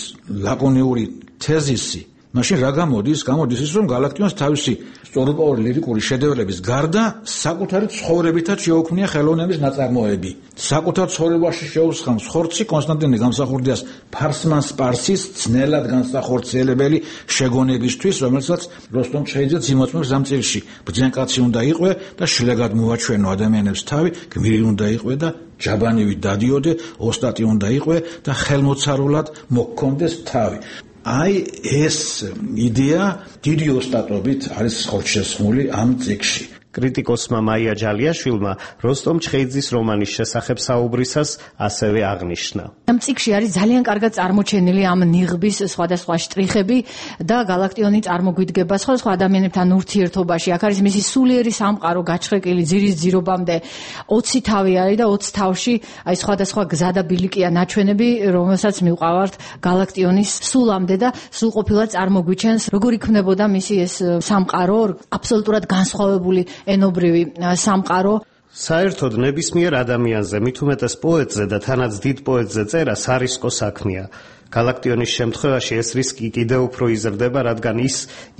ლაკონიური თეზისი, მაშინ რა გამოდის? გამოდის ის, რომ გალაქტიონს თავისი სწორუპოვარი ლირიკური შედევრების გარდა საკუთარი ცხოვრებითაც შეუქმნია ხელოვნების ნაწარმოები. საკუთარ ცხოვრებაში შეუსხამს ხორცი კონსტანტინე გამსახურდიას ფარსმან სპარსის ძნელად განსახორციელებელი შეგონებისთვის, რომელსაც როსტომ ჩხეიძეც იმოწმებს ამ წიგნში. ბრძენკაცი უნდა იყვე და შილეგად მოვაჩვენო ადამიანებს თავი, გმირი უნდა იყვე და ჯაბანივით დადიოდე, ოსტატი უნდა იყვე და ხელმოცარულად მოგქონდეს თავი. აი ეს იდეა დიდი ოსტატობით არის ხორცშესხმული ამ წიგნში. კრიტიკოსმა მაია ჯალიაშვილმა როსტომ ჩხეიძის რომანის შესახებ საუბრისას ასევე აღნიშნა. ამ წიგნში არის ძალიან კარგად წარმოჩენილი ამ ნიღბის სხვადასხვა შტრიხები და გალაქტიონი წარმოგვიდგება სხვადასხვა ადამიანებთან ურთიერთობაში. აქ არის მისი სულიერი სამყარო გაჩხრეკილი ძირის ძირობამდე ოცი თავი არის და ოცი თავში აი სხვადასხვა გზა და ბილიკია ნაჩვენები, რომელსაც მივყავართ გალაქტიონის სულამდე და სრულყოფილად წარმოგვიჩენს, როგორ იქმნებოდა მისი ეს სამყარო, აბსოლუტურად განსხვავებული ენობრივი სამყარო. საერთოდ ნებისმიერ ადამიანზე, მით უმეტეს პოეტზე და თანაც დიდ პოეტზე წერა სარისკო საქმეა. გალაქტიონის შემთხვევაში ეს რისკი კიდევ უფრო იზრდება, რადგან ის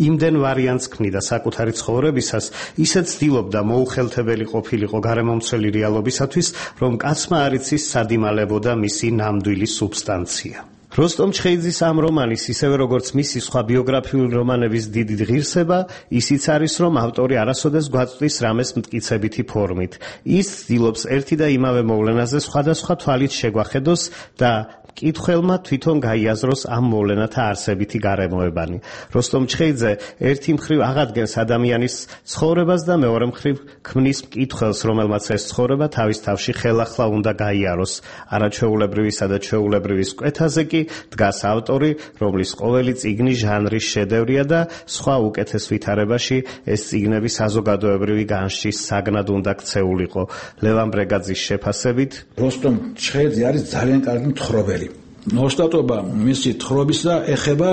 იმდენ ვარიანტს ქმნიდა საკუთარი ცხოვრებისას, ისეთ ცდილობდა მოუხელთებელი ყოფილიყო გარემომცველი რეალობისათვის, რომ კაცმა არ იცის სად იმალებოდა მისი ნამდვილი სუბსტანცია. როსტომ ჩხეიძის ამ რომანის, ისევე როგორც მისი სხვა ბიოგრაფიული რომანების დიდი ღირსება, ისიც არის, რომ ავტორი არასოდეს გვაწვდის რამეს მტკიცებითი ფორმით. ის ცდილობს ერთი და იმავე მოვლენაზე სხვადასხვა თვალით შეგვახედოს და მკითხველმა თვითონ გაიაზროს ამ მოვლენათა არსებითი გარემოებანი. როსტომ ჩხეიძე ერთი მხრივ აღადგენს ადამიანის ცხოვრებას და მეორე მხრივ ქმნის მკითხველს, რომელმაც ეს ცხოვრება თავის თავში ხელახლა უნდა გაიაროს. არაჩვეულებრივისა და ჩვეულებრივის კვეთაზე კი დგას ავტორი, რომლის ყოველი წიგნი ჟანრის შედევრია და სხვა უკეთეს ვითარებაში ეს წიგნები საზოგადოებრივი განშტის საგნად უნდა ქცეულიყო. ლევან ბრეგაძის შეფასებით, როსტომ ჩხეიძე არის ძალიან კარგი მთხრობელი. ოსტატობა მისი თხრობისა ეხება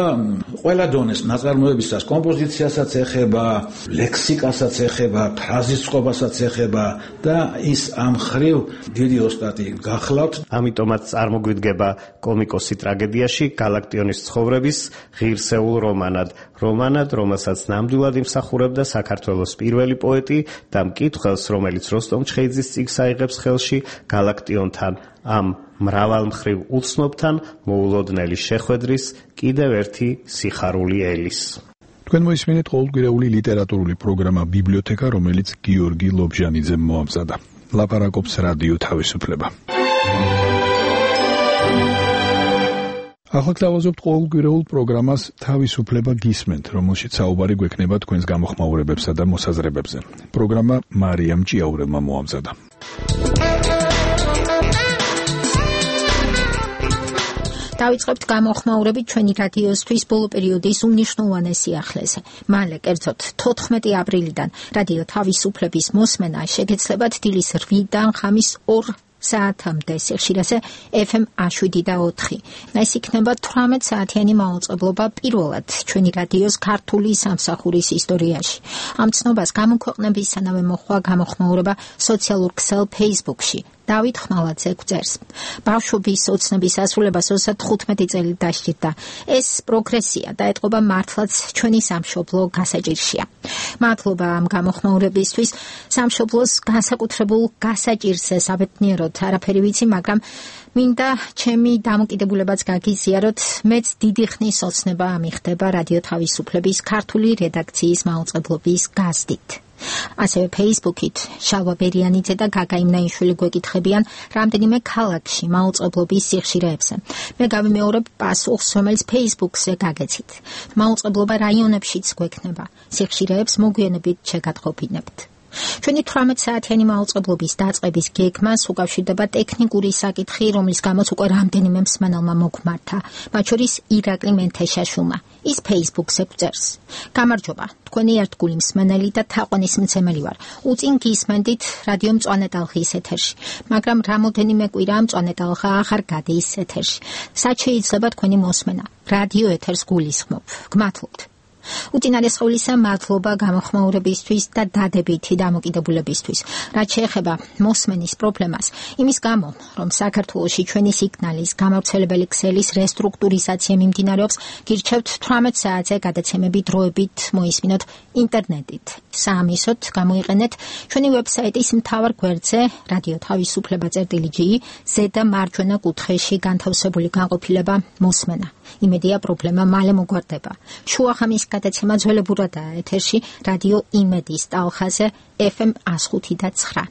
ყველა დონეს, ნაწარმოებისას, კომპოზიციასაც ეხება, ლექსიკასაც ეხება, ფრაზისწყობასაც ეხება და ის ამ ხრივ დიდი ოსტატი გახლავთ. ამიტომაც წარმოგვიდგება კომიკოსი ტრაგედიაში გალაქტიონის ცხოვრების ღირსეულ რომანად. რომანად, რომელსაც ნამდვილად იმსახურებდა საქართველოს პირველი პოეტი და მკითხველს, რომელიც როსტომ ჩხეიძის წიგნს აიღებს ხელში გალაქტიონთან, ამ მრავალმხრივ უცნობთან მოულოდნელი შეხვედრის კიდევ ერთი სიხარული ელის. თქვენ მოისმინეთ ყოველკვირეული ლიტერატურული პროგრამა ბიბლიოთეკა, რომელიც გიორგი ლობჟანიძემ მოამზადა. ლაპარაკობს რადიო თავისუფლება. ახლა გთავაზობთ ყოველკვირეულ პროგრამას თავისუფლება გისმენთ, რომელშიც საუბარი გვექნება თქვენს გამოხმაურებებსა და მოსაზრებებზე. პროგრამა მარიამ ჭიაურელმა მოამზადა. დავიწყებთ გამოხმაურებით ჩვენი რადიოსთვის ბოლო პერიოდის უმნიშვნელოვანეს სიახლეზე. მალე, კერძოდ თოთხმეტი აპრილიდან რადიო თავისუფლების მოსმენა შეგეცლებათ დილის რვიდან ხამის ორ საათამდე სიხშირეზე ეფ ემ შვიდ და ოთხი. ეს იქნება თვრამეტ საათიანი მაუწყებლობა პირველად ჩვენი რადიოს ქართული სამსახურის ისტორიაში. ამ ცნობას გამოქვეყნებისთანავე მოჰყვა გამოხმაურება სოციალურ ქსელ Facebook-ში. დავით ხმალაძე გვწერს. ბავშვობის ოცნების ასრულებას ოცდათხუთმეტი წელი დასჭირდა. ეს პროგრესია და ეტყობა მართლაც ჩვენი სამშობლო გასაჭირშია. მადლობა ამ გამოხმაურებისთვის. სამშობლოს განსაკუთრებულ გასაჭირზე საბედნიეროდ არაფერი ვიცი, მაგრამ მინდა ჩემი დამოკიდებულებაც გაგიზიაროთ. მეც დიდი ხნის ოცნება ამიხდება რადიო თავისუფლების ქართული რედაქციის მაუწყებლობის გაზდით. ასევე Facebook-ით შალვა ბერიანიძე და გაგა იმნაიშვილი გვეკითხებიან რამდენიმე ქალაქში მაუწყებლობის სიხშირეებზე. მე გავიმეორებ პასუხს, რომელიც Facebook-ზე გაგეცით. მაუწყებლობა რაიონებშიც გვექნება. სიხშირეებს მოგვიანებით შეგატყობინებთ. ჩვენი თვრამეტ საათიანი მაუწყებლობის დაწყების გეგმას უკავშირდება ტექნიკური საკითხი, რომლის გამოც უკვე რამდენიმე მსმენელმა მოგვმართა, მათ შორის ირაკლი მენთეშაშვილმა. ის Facebook-ზე გვწერს. გამარჯობა, თქვენი ერთგული მსმენელი და თაყვანისმცემელი ვარ. უწინ გისმენდით რადიო მწვანე ტალღის ეთერში, მაგრამ რამოდენიმე კვირა მწვანე ტალღა აღარ გადის ეთერში. სად შეიძლება თქვენი მოსმენა? რადიო ეთერს გულისხმობ. გმადლობთ. უწინარესყოლისა მადლობა გამოხმაურებისთვის და დადებითი დამოკიდებულებისთვის. რაც შეეხება მოსმენის პრობლემას, იმის გამო, რომ საქართველოში ჩვენი სიგნალის გამავრცელებელი ქსელის რესტრუქტურიზაცია მიმდინარეობს, გირჩევთ თვრამეტ საათზე გადაცემები დროებით მოისმინოთ ინტერნეტით. საამისოდ გამოიყენეთ ჩვენი ვებსაიტის მთავარ გვერდზე რადიო თავისუფლება წერტილი ჯი ზედა მარჯვენა კუთხეში განთავსებული განყოფილება მოსმენა. იმედია პრობლემა მალე მოგვარდება. შუახამის გადაცემა ძველებურადაა ეთერში რადიო იმედის ტალღაზე ეფ ემ ხუთი და ცხრა.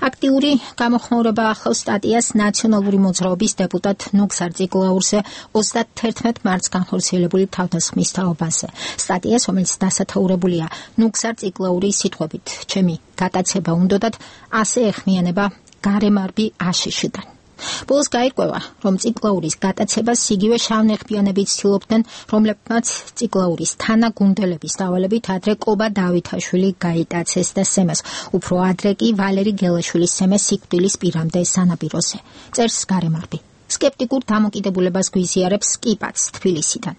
აქტიური გამოხმაურება ახლავს სტატიას ნაციონალური მოძრაობის დეპუტატ ნუგზარ წიგლაურზე ოცდათერთმეტ მარტს განხორციელებული თავდასხმის თაობაზე. სტატიას, რომელიც დასათაურებულია ნუგზარ წიგლაურის სიტყვებით, ჩემი გატაცება უნდოდათ ასე ეხმიანება გარემარბი აშშ-დან. ბოლოს გაირკვევა, რომ წიგლაურის გატაცებას იგივე შავნეხბიანები ცდილობდნენ, რომლებმაც წიგლაურის თანაგუნდელების დავალებით ადრე კობა დავითაშვილი გაიტაცეს და სემეს, უფრო ადრე კი ვალერი გელაშვილის სემეს სიკვდილის პირამდე სანაპიროზე. წერს გარემარბი. სკეპტიკურ დამოკიდებულებას გვიზიარებს კიპაც თბილისიდან.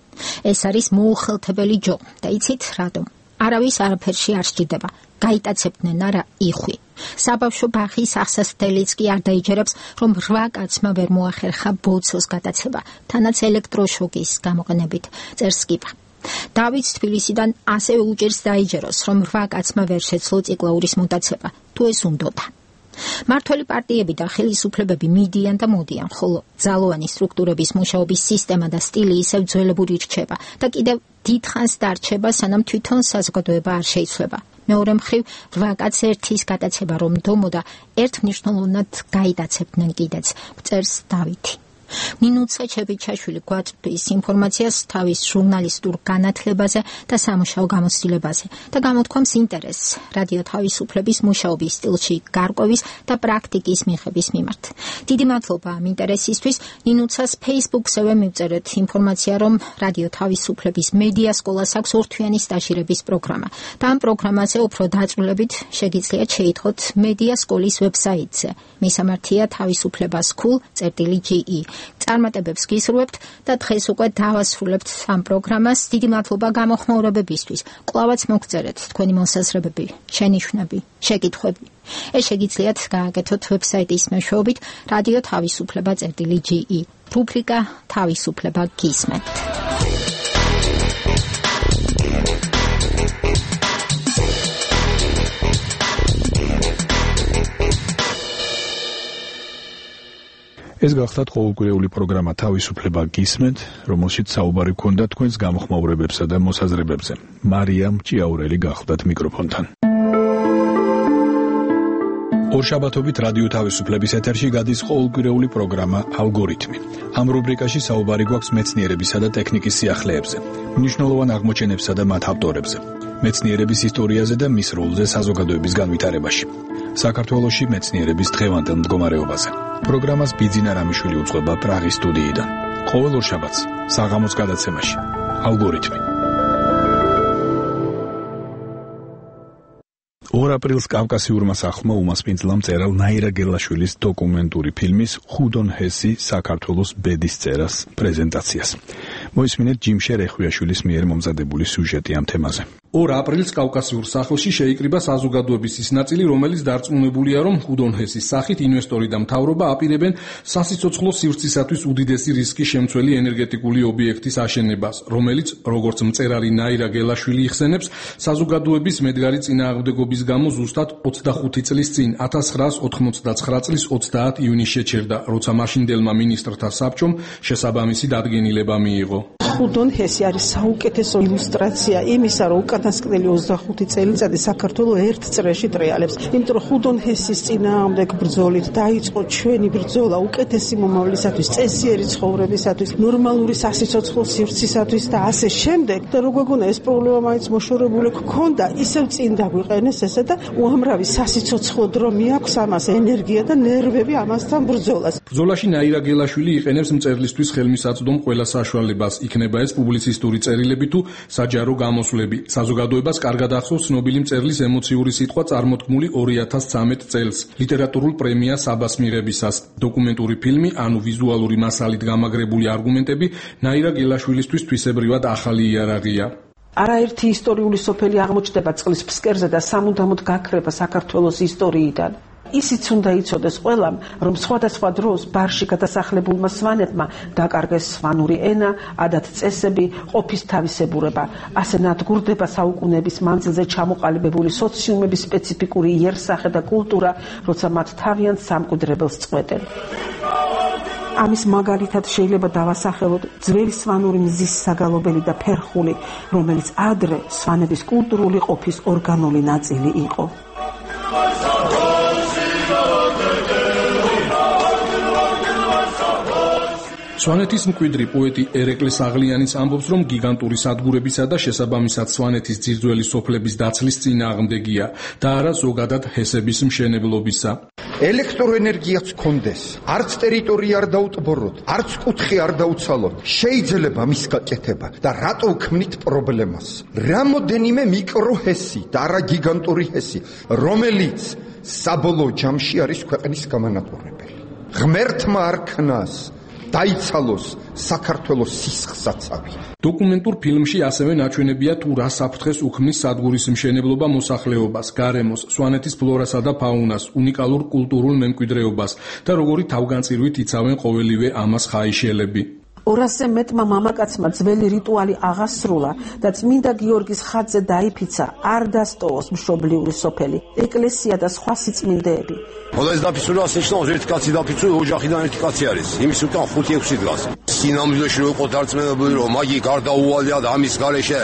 ეს არის მოუხელთებელი ჯო და იცით რატომ? არავის არაფერში არ სჭირდება. გაიტაცებდნენ არა იხვი. საბავშვო ბაღის ახსასდელიც კი არ დაიჯერებს, რომ რვა კაცმა ვერ მოახერხა ბოცოს გატაცება, თანაც ელექტროშოკის გამოყენებით. წერს კიპა. დავით თბილისიდან ასევე უჭერს დაიჯეროს, რომ რვა კაცმა ვერ შეძლო წიგლაურის მოტაცება, თუ ეს უნდოდა. მართველი პარტიები და ხელისუფლებები მიდიან და მოდიან, ხოლო ძალოვანი სტრუქტურების მუშაობის სისტემა და სტილი ისევ ძველებური რჩება და კიდევ დიდხანს დარჩება, სანამ თვითონ საზოგადოება არ შეიცვლება. მეორე მხრივ, რვა კაც ერთის გატაცება რომ დომოდა, ერთმნიშვნელოვნად გაიტაცებდნენ კიდეც, წერს დავითი. ნინუცა ჩებიჩაშვილი გვაწვდის ინფორმაციას თავის ჟურნალისტურ განათლებაზე და სამუშაო გამოცდილებაზე და გამოთქვამს ინტერესს რადიო თავისუფლების მუშაობის სტილში გარკვევის და პრაქტიკის მიღების მიმართ. დიდი მადლობა ამ ინტერესისთვის. ნინუცას Facebook-ზევე მივწერეთ ინფორმაცია, რომ რადიო თავისუფლების მედია სკოლას აქვს ორთვიანი სტაჟირების პროგრამა და ამ პროგრამაზე უფრო დაწვრილებით შეგიძლიათ შეიტყოთ მედია სკოლის ვებსაიტზე. მისამართია თავისუფლება სკულ წერტილი ჯი ი. წარმატებებს გისურვებთ და დღეს უკვე დავასრულებთ ამ პროგრამას. დიდი მადლობა გამოხმაურებებისთვის. კვლავაც მოგწერეთ თქვენი მოსაზრებები, შენიშვნები, შეკითხვები. ეს შეგიძლიათ გააკეთოთ ვებსაიტის მეშვეობით რადიო თავისუფლება წერტილი ჯი ი. რუბრიკა თავისუფლება გისმენთ. ეს გახლავთ ყოველკვირეული პროგრამა თავისუფლება გისმენთ, რომელშიც საუბარი გქონდა თქვენს გამოხმაურებებსა და მოსაზრებებზე. მარიამ ჭიაურელი გახლავთ მიკროფონთან. ორშაბათობით რადიო თავისუფლების ეთერში გადის ყოველკვირეული პროგრამა ალგორითმი. ამ რუბრიკაში საუბარი გვაქვს მეცნიერებისა და ტექნიკის სიახლეებზე, მნიშვნელოვან აღმოჩენებსა და მათ ავტორებზე, მეცნიერების ისტორიაზე და მის როლზე საზოგადოების განვითარებაში. საქართველოში მეცნიერების დღევანდელ მდგომარეობაზე. პროგრამას ბიძინა რამიშვილი უძღვება პრაღის სტუდიიდან. ყოველ ორშაბათს საღამოს გადაცემაში ალგორითმი. ორ აპრილს კავკასიურმა სახლმა უმასპინძლა მწერალ ნაირა გელაშვილის დოკუმენტური ფილმის ხუდონ ჰესი საქართველოს ბედის წერას პრეზენტაციას. მოისმინეთ ჯიმშე რეხვიაშვილის მიერ მომზადებული სიუჟეტი ამ თემაზე. ორ აპრილს კავკასიურ სახლში შეიკრიბა საზოგადოების ის ნაწილი, რომელიც დარწმუნებულია, რომ ხუდონ ჰესის სახით ინვესტორი და მთავრობა აპირებენ სასიცოცხლო სივრცისათვის უდიდესი რისკი შემცველი ენერგეტიკული ობიექტის აშენებას, რომელიც, როგორც მწერალი ნაირა გელაშვილი იხსენებს, საზოგადოების მედგარი წინააღმდეგობის გამო ზუსტად ოცდახუთი წლის წინ ათას ცხრაას ოთხმოცდაცხრა წლის ოცდაათი ივნისს შეჩერდა, როცა მაშინდელმა მინისტრთა საბჭომ შესაბამისი დადგენილება მიიღო. ხუდონ ჰესი არის საუკეთესო ილუსტრაცია იმისა, რომ უკანასკნელი ოცდახუთი წელიწადი საქართველოს ერთ წრეში ტრიალებს. იმიტომ რომ ხუდონ ჰესის წინააღმდეგ ბრძოლით დაიწყო ჩვენი ბრძოლა უკეთესი მომავლისათვის, წესიერი ცხოვრებისათვის, ნორმალური სასიცოცხლო სივრცისათვის და ასე შემდეგ. და რო გვეგონა ეს პრობლემა მაინც მოშორებული გქონდა, ისევ წინ დაგვიყენეს ესე და უამრავი სასიცოცხლო დრო მიაქვს ამას, ენერგია და ნერვები ამასთან ბრძოლას. ბრძოლაში ნაირა გელაშვილი იყენებს მწერლისთვის ხელმისაწვდომ ყველა საშუალებას, იქნება ეს პუბლიცისტური წერილები თუ საჯარო გამოსვლები. საზოგადოებას კარგად ახსოვს ცნობილი მწერლის ემოციური სიტყვა წარმოთქმული ორი ათას ცხრამეტ წელს ლიტერატურულ პრემია საბას მიღებისას. დოკუმენტური ფილმი, ანუ ვიზუალური მასალით გამაგრებული არგუმენტები ნაირა გელაშვილისთვის თვისებრივად ახალი იარაღია. არაერთი ისტორიული სოფელი აღმოჩნდება წყლის ფსკერზე და სამუდამოდ გაქრება საქართველოს ისტორიიდან. ისიც უნდა იცოდეს ყველამ, რომ სხვადასხვა დროს ბარში გადასახლებულმა სვანებმა დაკარგეს სვანური ენა, ადათ-წესები, ყოფის თავისებურება. ასე ნადგურდება საუკუნეების მანძილზე ჩამოყალიბებული სოციუმების სპეციფიკური იერსახე და კულტურა, როცა მათ თავიანთ სამკვიდრებელს წყვეტენ. ამის მაგალითად შეიძლება დავასახელოთ ძველი სვანური მზის საგალობელი და ფერხული, რომელიც ადრე სვანების კულტურული ყოფის ორგანული ნაწილი იყო. სვანეთის მკვიდრი პოეტი ერეკლე საღლიანიც ამბობს, რომ გიგანტური სადგურებისა და შესაბამისად სვანეთის ძირძველი სოფლების დაცლის წინააღმდეგია და არა ზოგადად ჰესების მშენებლობისა. ელექტროენერგიაც კონდეს, არც ტერიტორია არ დაუტბოროთ, არც კუთხე არ დაუცალოთ. შეიძლება მის გაკეთება და რატო ვქმნით პრობლემას? რამოდენიმე მიკროჰესი და არა გიგანტური ჰესი, რომელიც საბოლოო ჯამში არის ქვეყნის გამანადგურებელი. ღმერთმა არ ქნას დაიცალოს საქართველოს სისხლსაცავი. დოკუმენტურ ფილმში ასევე ნაჩვენებია თუ რა საფრთხეს უქმნის სადგურის მშენებლობა მოსახლეობას, გარემოს, სვანეთის ფლორასა და ფაუნას, უნიკალურ კულტურულ მემკვიდრეობას და როგორი თავგანწირვით იცავენ ყოველივე ამას ხაიშელები. ორასზე მეტმა მამაკაცმა ძველი რიტუალი აღასრულა და წმინდა გიორგის ხატზე დაიფიცა არ დასტოვოს მშობლიური სოფელი, ეკლესია და სხვა სიწმინდეები. ხოდა ეს დაფიცული ასეჩნავს ერთი კაცი დაფიცული ოჯახიდან ერთი კაცი არის. იმის უკან ხუთი ექვსი დგას. სინამდვილეში რო იყო დარწმუნებული რომ მაგი გარდაუვალია და ამის გარეშე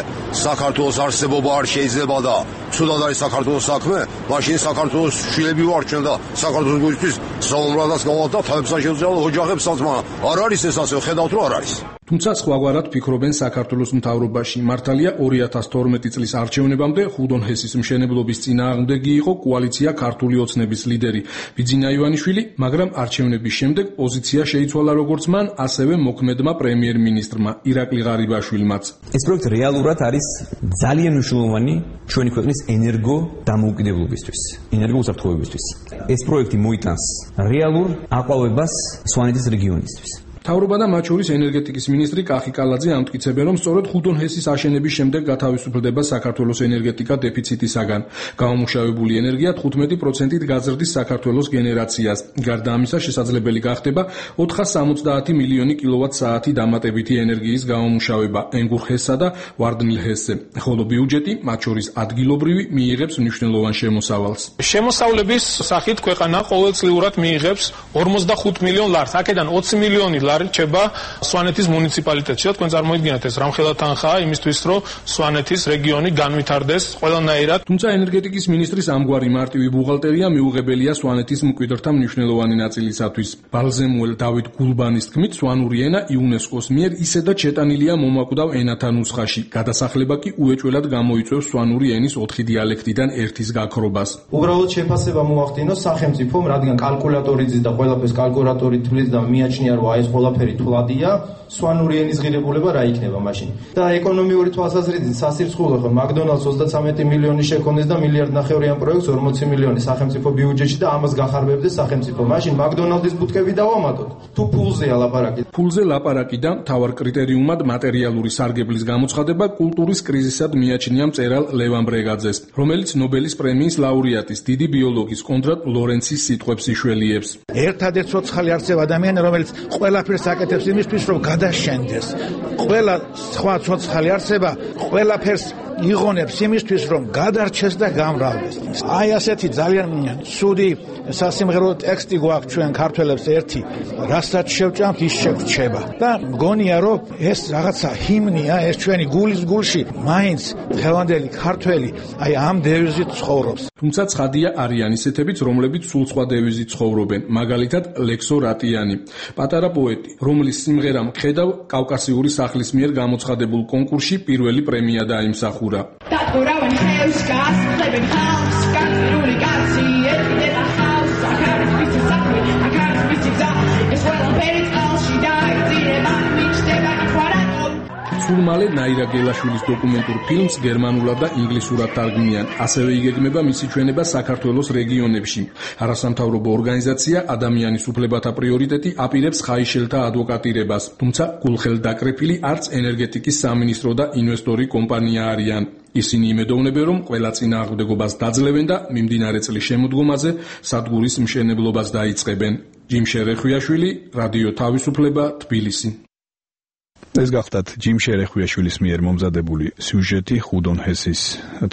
საქართველოს არსებობა არ შეიძლება და ცუდად არის საქართველოს საქმე, მაშინ საქართველოს შვილები ვარჩენ და საქართველოს გულისთვის საომრადაც გავალ და თავებსა შეუძლია ოჯახებსაც, მაგრამ არ არის ეს ასე, ხედავთ რომ არ არის. თუმცა სხვაგვარად ფიქრობენ საქართველოს მთავრობაში. მართალია ორი ათას თორმეტი წლის არჩევნებამდე ხუდონ ჰესის მშენებლობის წინააღმდეგი იყო კოალიცია ქართული ოცნების ლიდერი ბიძინა ივანიშვილი, მაგრამ არჩევნების შემდეგ პოზიცია შეიცვალა როგორც მან, ასევე მოქმედმა პრემიერ-მინისტრმა ირაკლი ღარიბაშვილმაც. ეს პროექტი რეალურად არის ძალიან მნიშვნელოვანი ჩვენი ქვეყნის ენერგო დამოუკიდებლობისთვის, ენერგო უსაფრთხოებისთვის. ეს პროექტი მოიტანს რეალურ აყვავებას სვანეთის რეგიონისთვის. მთავრობა და მათ შორის ენერგეტიკის მინისტრი კახი კალაძე ამტკიცებენ, რომ სწორედ ხუდონ ჰესის აშენების შემდეგ გათავისუფლდება საქართველოს ენერგეტიკა დეფიციტისაგან. გამომუშავებული ენერგია თხუთმეტი პროცენტით გაზრდის საქართველოს გენერაციას. გარდა ამისა, შესაძლებელი გახდება ოთხას სამოცდაათი მილიონი კილოვატ-საათი დამატებითი ენერგიის გამომუშავება ენგურ ჰესსა და ვარდნილ ჰესზე. ხოლო ბიუჯეტი, მათ შორის ადგილობრივი, მიიღებს მნიშვნელოვან შემოსავალს. შემოსავლების სახით ქვეყანა ყოველწლიურად მიიღებს ორმოცდახუთ მილიონ ლარს. აქედან ოცი მილიონი რჩება სვანეთის მუნიციპალიტეტში. თქვენ წარმოიდგინეთ ეს რამხელა თანხაა იმისთვის, რომ სვანეთის რეგიონი განვითარდეს ყველანაირად. თუმცა ენერგეტიკის მინისტრის ამგვარი მარტივი ბუღალტერია მიუღებელია სვანეთის მკვიდრთა მნიშვნელოვანი ნაწილისათვის. ბალზემუელ დავით გულბანის თქმით, სვანური ენა იუნესკოს მიერ ისედაც შეტანილია მომაკვდავ ენათა ნუსხაში. გადასახლება კი უეჭველად გამოიწვევს სვანური ენის ოთხი დიალექტიდან ერთის გაქრობას. უბრალოდ შეფასება მოახდინოს სახელმწიფომ, რადგან კალკულატორი ძის და ყველაფერს კალკულატორი თვლის და მიაჩნია, რომ აი ეს ყველაფერი თვლადია, სვანური ენის ღირებულება რა იქნება მაშინ? და ეკონომიური თვალსაზრისით სასირცხულო ხო McDonald's ოცდაათი მილიონი შეკონდეს და მილიარდ ნახევრი ამ პროექტს ორმოცი მილიონი სახელმწიფო ბიუჯეტში და ამას გახარბებდეს სახელმწიფო. მაშინ McDonald's-ის ბუთკები დავამატოთ. თუ ფულზეა ლაპარაკი. ფულზე ლაპარაკი და მთავარ კრიტერიუმად მატერიალური სარგებლის გამოცხადება კულტურის კრიზისად მიაჩნია მწერალ ლევან ბრეგაძეს, რომელიც ნობელის პრემიის ლაურეატის დიდი ბიოლოგის კონრად ლორენცის სიტყვებს იშველიებს. ერთადერთ ცოცხალი არსება ადამიანი, რომელიც ყველაფერს აკეთებს იმისთვის, რომ გადაშენდეს. ყველა სხვა ცოცხალი არსება ყველაფერს იღონებს იმისთვის, რომ გადარჩეს და გამრავლდეს. აი ასეთი ძალიან ცუდი სასიმღერო ტექსტი გვაქვს ჩვენ ქართველებს ერთი, რასაც შევჭამთ ის შეგვრჩება. და მგონია, რომ ეს რაღაცა ჰიმნია, ეს ჩვენი გულის გულში მაინც დღევანდელი ქართველი აი ამ დევიზით ცხოვრობს. თუმცა ცხადია არიან ისეთებიც, რომლებიც სულ სხვა დევიზით ცხოვრობენ, მაგალითად ლექსო რატიანი, პატარა პოეტი, რომლის სიმღერამ ხედავ კავკასიური სახლის მიერ გამოცხადებულ კონკურსში პირველი პრემია დაიმსახურა. დათორავენ ხელს გასწრებენ ხალხს, განცდებული კაცი ეთქება ხალხს, აქარის მისი საქმე, აქარის მისი გზა, ეს ყველაფერი წყალში დაიწირება, მიჩნდება ხვარატო. სულ მალე ნაირა გელაშვილის დოკუმენტურ ფილმს გერმანულად და ინგლისურად თარგმნიან. ასევე იგეგმება მისი ჩვენება საქართველოს რეგიონებში. არასამთავრობო ორგანიზაცია ადამიანის უფლებათა პრიორიტეტი აპირებს ხაიშელთა ადვოკატირებას, თუმცა გულხელდაკრეფილი არც ენერგეტიკის სამინისტრო და ინვესტორი კომპანია არიან. ისინი იმედოვნებენ, რომ ყველა წინააღმდეგობას დაძლევენ და მიმდინარე წლის შემოდგომაზე სადგურის მშენებლობას დაიწყებენ. ჯიმშე რეხვიაშვილი, რადიო თავისუფლება, თბილისი. ეს გახდათ ჯიმშე რეხვიაშვილის მიერ მომზადებული სიუჟეტი ხუდონ ჰესის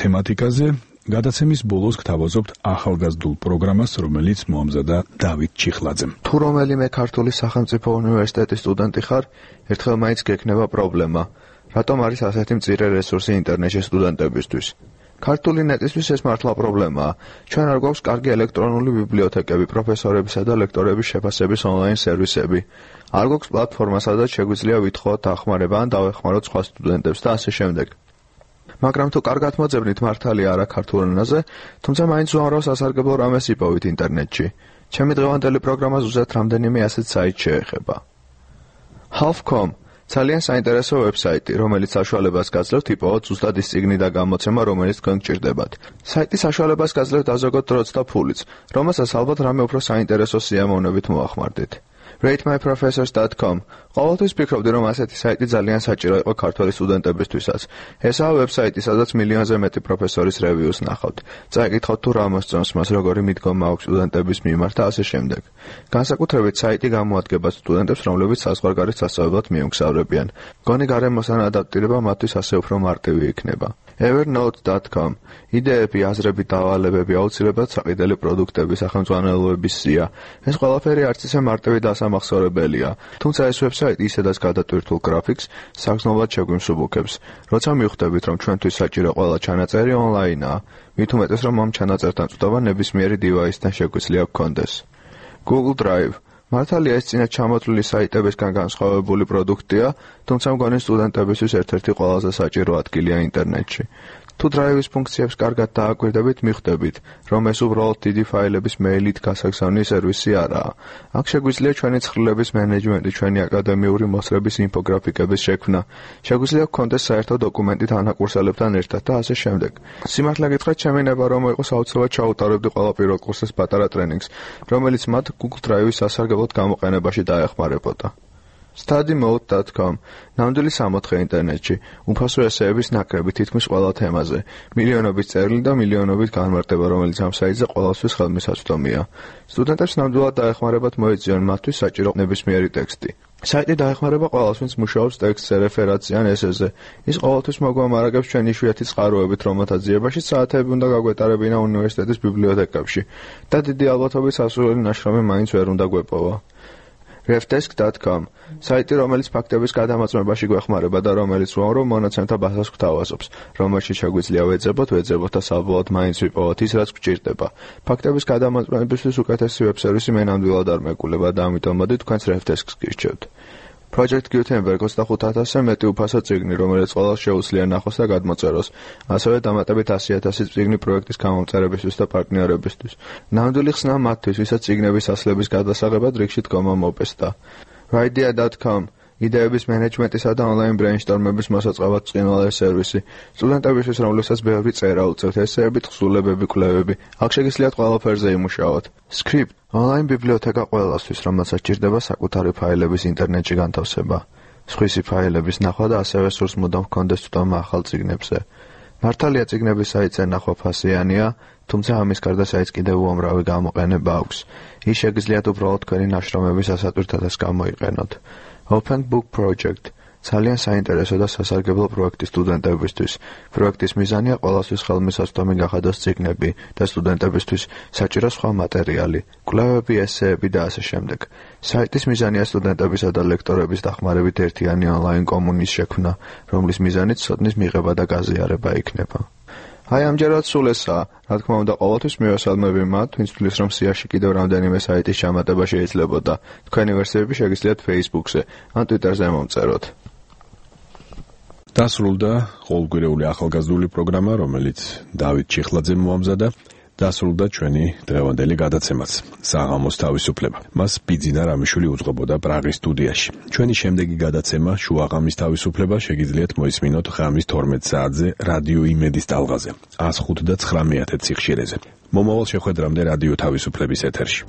თემატიკაზე. გადაცემის ბოლოს გთავაზობთ ახალგაზრდულ პროგრამას, რომელიც მოამზადა დავით ჩიხლაძემ. თუ რომელიმე ქართული სახელმწიფო უნივერსიტეტის სტუდენტი ხარ, ერთხელ მაინც გექნება პრობლემა. რატომ არის ასეთი მწირე რესურსი ინტერნეტში სტუდენტებისთვის? ქართული ნეტისთვის ეს მართლა პრობლემაა. ჩვენ არ გვაქვს კარგი ელექტრონული ბიბლიოთეკები, პროფესორებისა და ლექტორების შეფასების ონლაინ სერვისები. არ გვაქვს პლატფორმა, სადაც შეგვიძლია ვითხოვოთ დახმარება ან დავეხმაროთ სხვა სტუდენტებს და ასე შემდეგ. მაგრამ თუ კარგად მოძებნით მართალია არა ქართულ ენაზე, თუმცა მაინც უამრავ სასარგებლო რამეს იპოვით ინტერნეტში. ჩემი დღევანდელი პროგრამა ზუსტად რამდენიმე ასეთ საიტს შეეხება. half dot com ძალიან საინტერესო ვებსაიტი, რომელიც საშუალებას გაძლევთ იპოვოთ ზუსტად ის წიგნი და გამოცემა, რომელიც თქვენ გჭირდებათ. საიტი საშუალებას გაძლევთ აზოგოთ დროც და ფულიც, რომელსაც ალბათ რამე უფრო საინტერესო სიამოვნებით მოახმარდით. rate my professors dot com ყოველთვის ვფიქრობდი, რომ ასეთი საიტი ძალიან საჭირო იყო ქართველი სტუდენტებისთვისაც. ესაა ვებსაიტი, სადაც მილიონზე მეტი პროფესორის რევიუს ნახავთ. წაიკითხოთ თუ რა მოსწონს მას, როგორი მიდგომა აქვს სტუდენტების მიმართ და ასე შემდეგ. განსაკუთრებით საიტი გამოადგება სტუდენტებს, რომლებიც საზღვარგარეთ სასწავლებლად მიემგზავრებიან. გონი გარემოსთან ადაპტირება მათთვის ასე უფრო მარტივი იქნება. evernote dot com იდეები, აზრები, დავალებები, აუცილებლად საყიდელი პროდუქტები, სახელმძღვანელოების სია. ეს ყველაფერი არც ისე მარტივი დასამახსოვრებელია, თუმცა ეს ვებსაიტი ისედაც გადატვირთულ გრაფიკს საგრძნობლად შეგვიმსუბუქებს. როცა მივხვდებით, რომ ჩვენთვის საჭირო ყველა ჩანაწერი ონლაინაა, მით უმეტეს, რომ ამ ჩანაწერთან წვდომა ნებისმიერი დივაისთან შეგვიძლია გქონდეს. Google Drive მართალია ეს წინათ ჩამოთვლილი საიტებისგან განსხვავებული პროდუქტია, თუმცა მგონი სტუდენტებისთვის ერთ-ერთი ყველაზე საჭირო ადგილია ინტერნეტში. თუ დრაივის ფუნქციებს კარგად დააკვირდებით, მიხვდებით, რომ ეს უბრალოდ დიდი ფაილების მეილით გასაგზავნი სერვისი არაა. აქ შეგვიძლია ჩვენი ცხრილების მენეჯმენტი, ჩვენი აკადემიური მოსწრების ინფოგრაფიკების შექმნა, შეგვიძლია გქონდეს საერთო დოკუმენტი თანაკურსელებთან ერთად და ასე შემდეგ. სიმართლე გითხრათ, ჩემი ნება რომ იყოს აუცილებლად ჩაუტარებდი ყველა პირველ კურსის პატარა ტრენინგს, რომელიც მათ Google Drive-ის სასარგებლოდ გამოყენებაში დაეხმარებოდა. study mode dot com ნამდვილი სამოთხე ინტერნეტში, უფასო ესეების ნაკრები თითქმის ყველა თემაზე, მილიონობით წერილი და მილიონობით განმარტება, რომელიც ამ საიტზე ყველასთვის ხელმისაწვდომია. სტუდენტებს ნამდვილად დაეხმარებათ მოეწიონ მათთვის საჭირო ნებისმიერი ტექსტი. საიტი დაეხმარება ყველას, ვინც მუშაობს ტექსტზე, რეფერატზე ან ესეზე. ის ყოველთვის მოგვამარაგებს ჩვენი იშვიათი წყაროებით, რომელთა ძიებაში საათები უნდა გაგვეტარებინა უნივერსიტეტის ბიბლიოთეკებში და დიდი ალბათობით სასურველი ნაშრომი მაინც ვერ უნდა გვეპოვა. refdesk dot com საიტი, რომელიც ფაქტების გადამოწმებაში გვეხმარება და რომელიც უამრავ მონაცემთა ბაზას გვთავაზობს, რომელშიც შეგვიძლია ვეძებოთ, ვეძებოთ და საბოლოოდ მაინც ვიპოვოთ ის, რაც გვჭირდება. ფაქტების გადამოწმებისთვის უკეთესი ვებ-სერვისი მე ნამდვილად არ მეგულება და ამიტომ მოდი თქვენს refdesk-ს გირჩევთ. Project Gutenberg ოცდახუთ ათასზე მეტი უფასო წიგნი, რომელიც ყველას შეუძლია ნახოს და გადმოწეროს, ასევე დამატებით ასი ათასი წიგნი პროექტის გამომწერებისთვის და პარტნიორებისთვის. ნამდვილი ხსნა მათთვის, ვისაც წიგნების ასლების გადასაღებად რიგში დგომა მოპესდა. idea dot com იდეების მენეჯმენტისა და ონლაინ ბრეინშტორმების მოსაწყავად წყინვალე სერვისი. სტუდენტებისთვის, რომლებსაც ბევრი წერა უწევთ, ესეები, თხზულებები, კვლევები, აქ შეგიძლიათ ყველაფერზე იმუშაოთ. Script ონლაინ ბიბლიოთეკა ყველასთვის, რომელსაც ჭირდება საკუთარი ფაილების ინტერნეტში განთავსება. სხვისი ფაილების ნახვა და ასევე სურს მუდამ ჰქონდეს თვითონ ახალ წიგნებზე. მართალია წიგნების საიტზე ნახვა ფასიანია, თუმცა ამის გარდა საიტს კიდევ უამრავი გამოყენება აქვს. ის შეგიძლიათ უბრალოდ თქვენი ნაშრომების ასატვირთადაც გამოიყენოთ. Open Book Project ძალიან საინტერესო და სასარგებლო პროექტი სტუდენტებისთვის. პროექტის მიზანია ყველასთვის ხელმისაწვდომი გახადოს წიგნები და სტუდენტებისთვის საჭირო სხვა მატერიალი, კვლევები, ესეები და ასე შემდეგ. საიტის მიზანია სტუდენტებისა და ლექტორების დახმარებით ერთიანი ონლაინ კომუნის შექმნა, რომლის მიზანიც ცოდნის მიღება და გაზიარება იქნება. აი ამჯერად სულ ესაა. რა თქმა უნდა, ყოველთვის მივესალმები მათ, ვინც თვლის, რომ სიაში კიდევ რამდენიმე საიტის ჩამატება შეიძლებოდა. თქვენი ვერსიები შეგიძლიათ Facebook-ზე ან Twitter-ზე მომწეროთ. დასრულდა ყოველკვირეული ახალგაზრდული პროგრამა, რომელიც დავით ჩიხლაძემ მოამზადა. დასრულდა ჩვენი დღევანდელი გადაცემაც საღამოს თავისუფლება. მას ბიძინა რამიშვილი უძღვებოდა პრაღის სტუდიაში. ჩვენი შემდეგი გადაცემა შუაღამის თავისუფლება შეგიძლიათ მოისმინოთ ღამის თორმეტ საათზე რადიო იმედის ტალღაზე. ას ხუთი და ცხრამეტ სიხშირეზე. მომავალ შეხვედრამდე რადიო თავისუფლების ეთერში.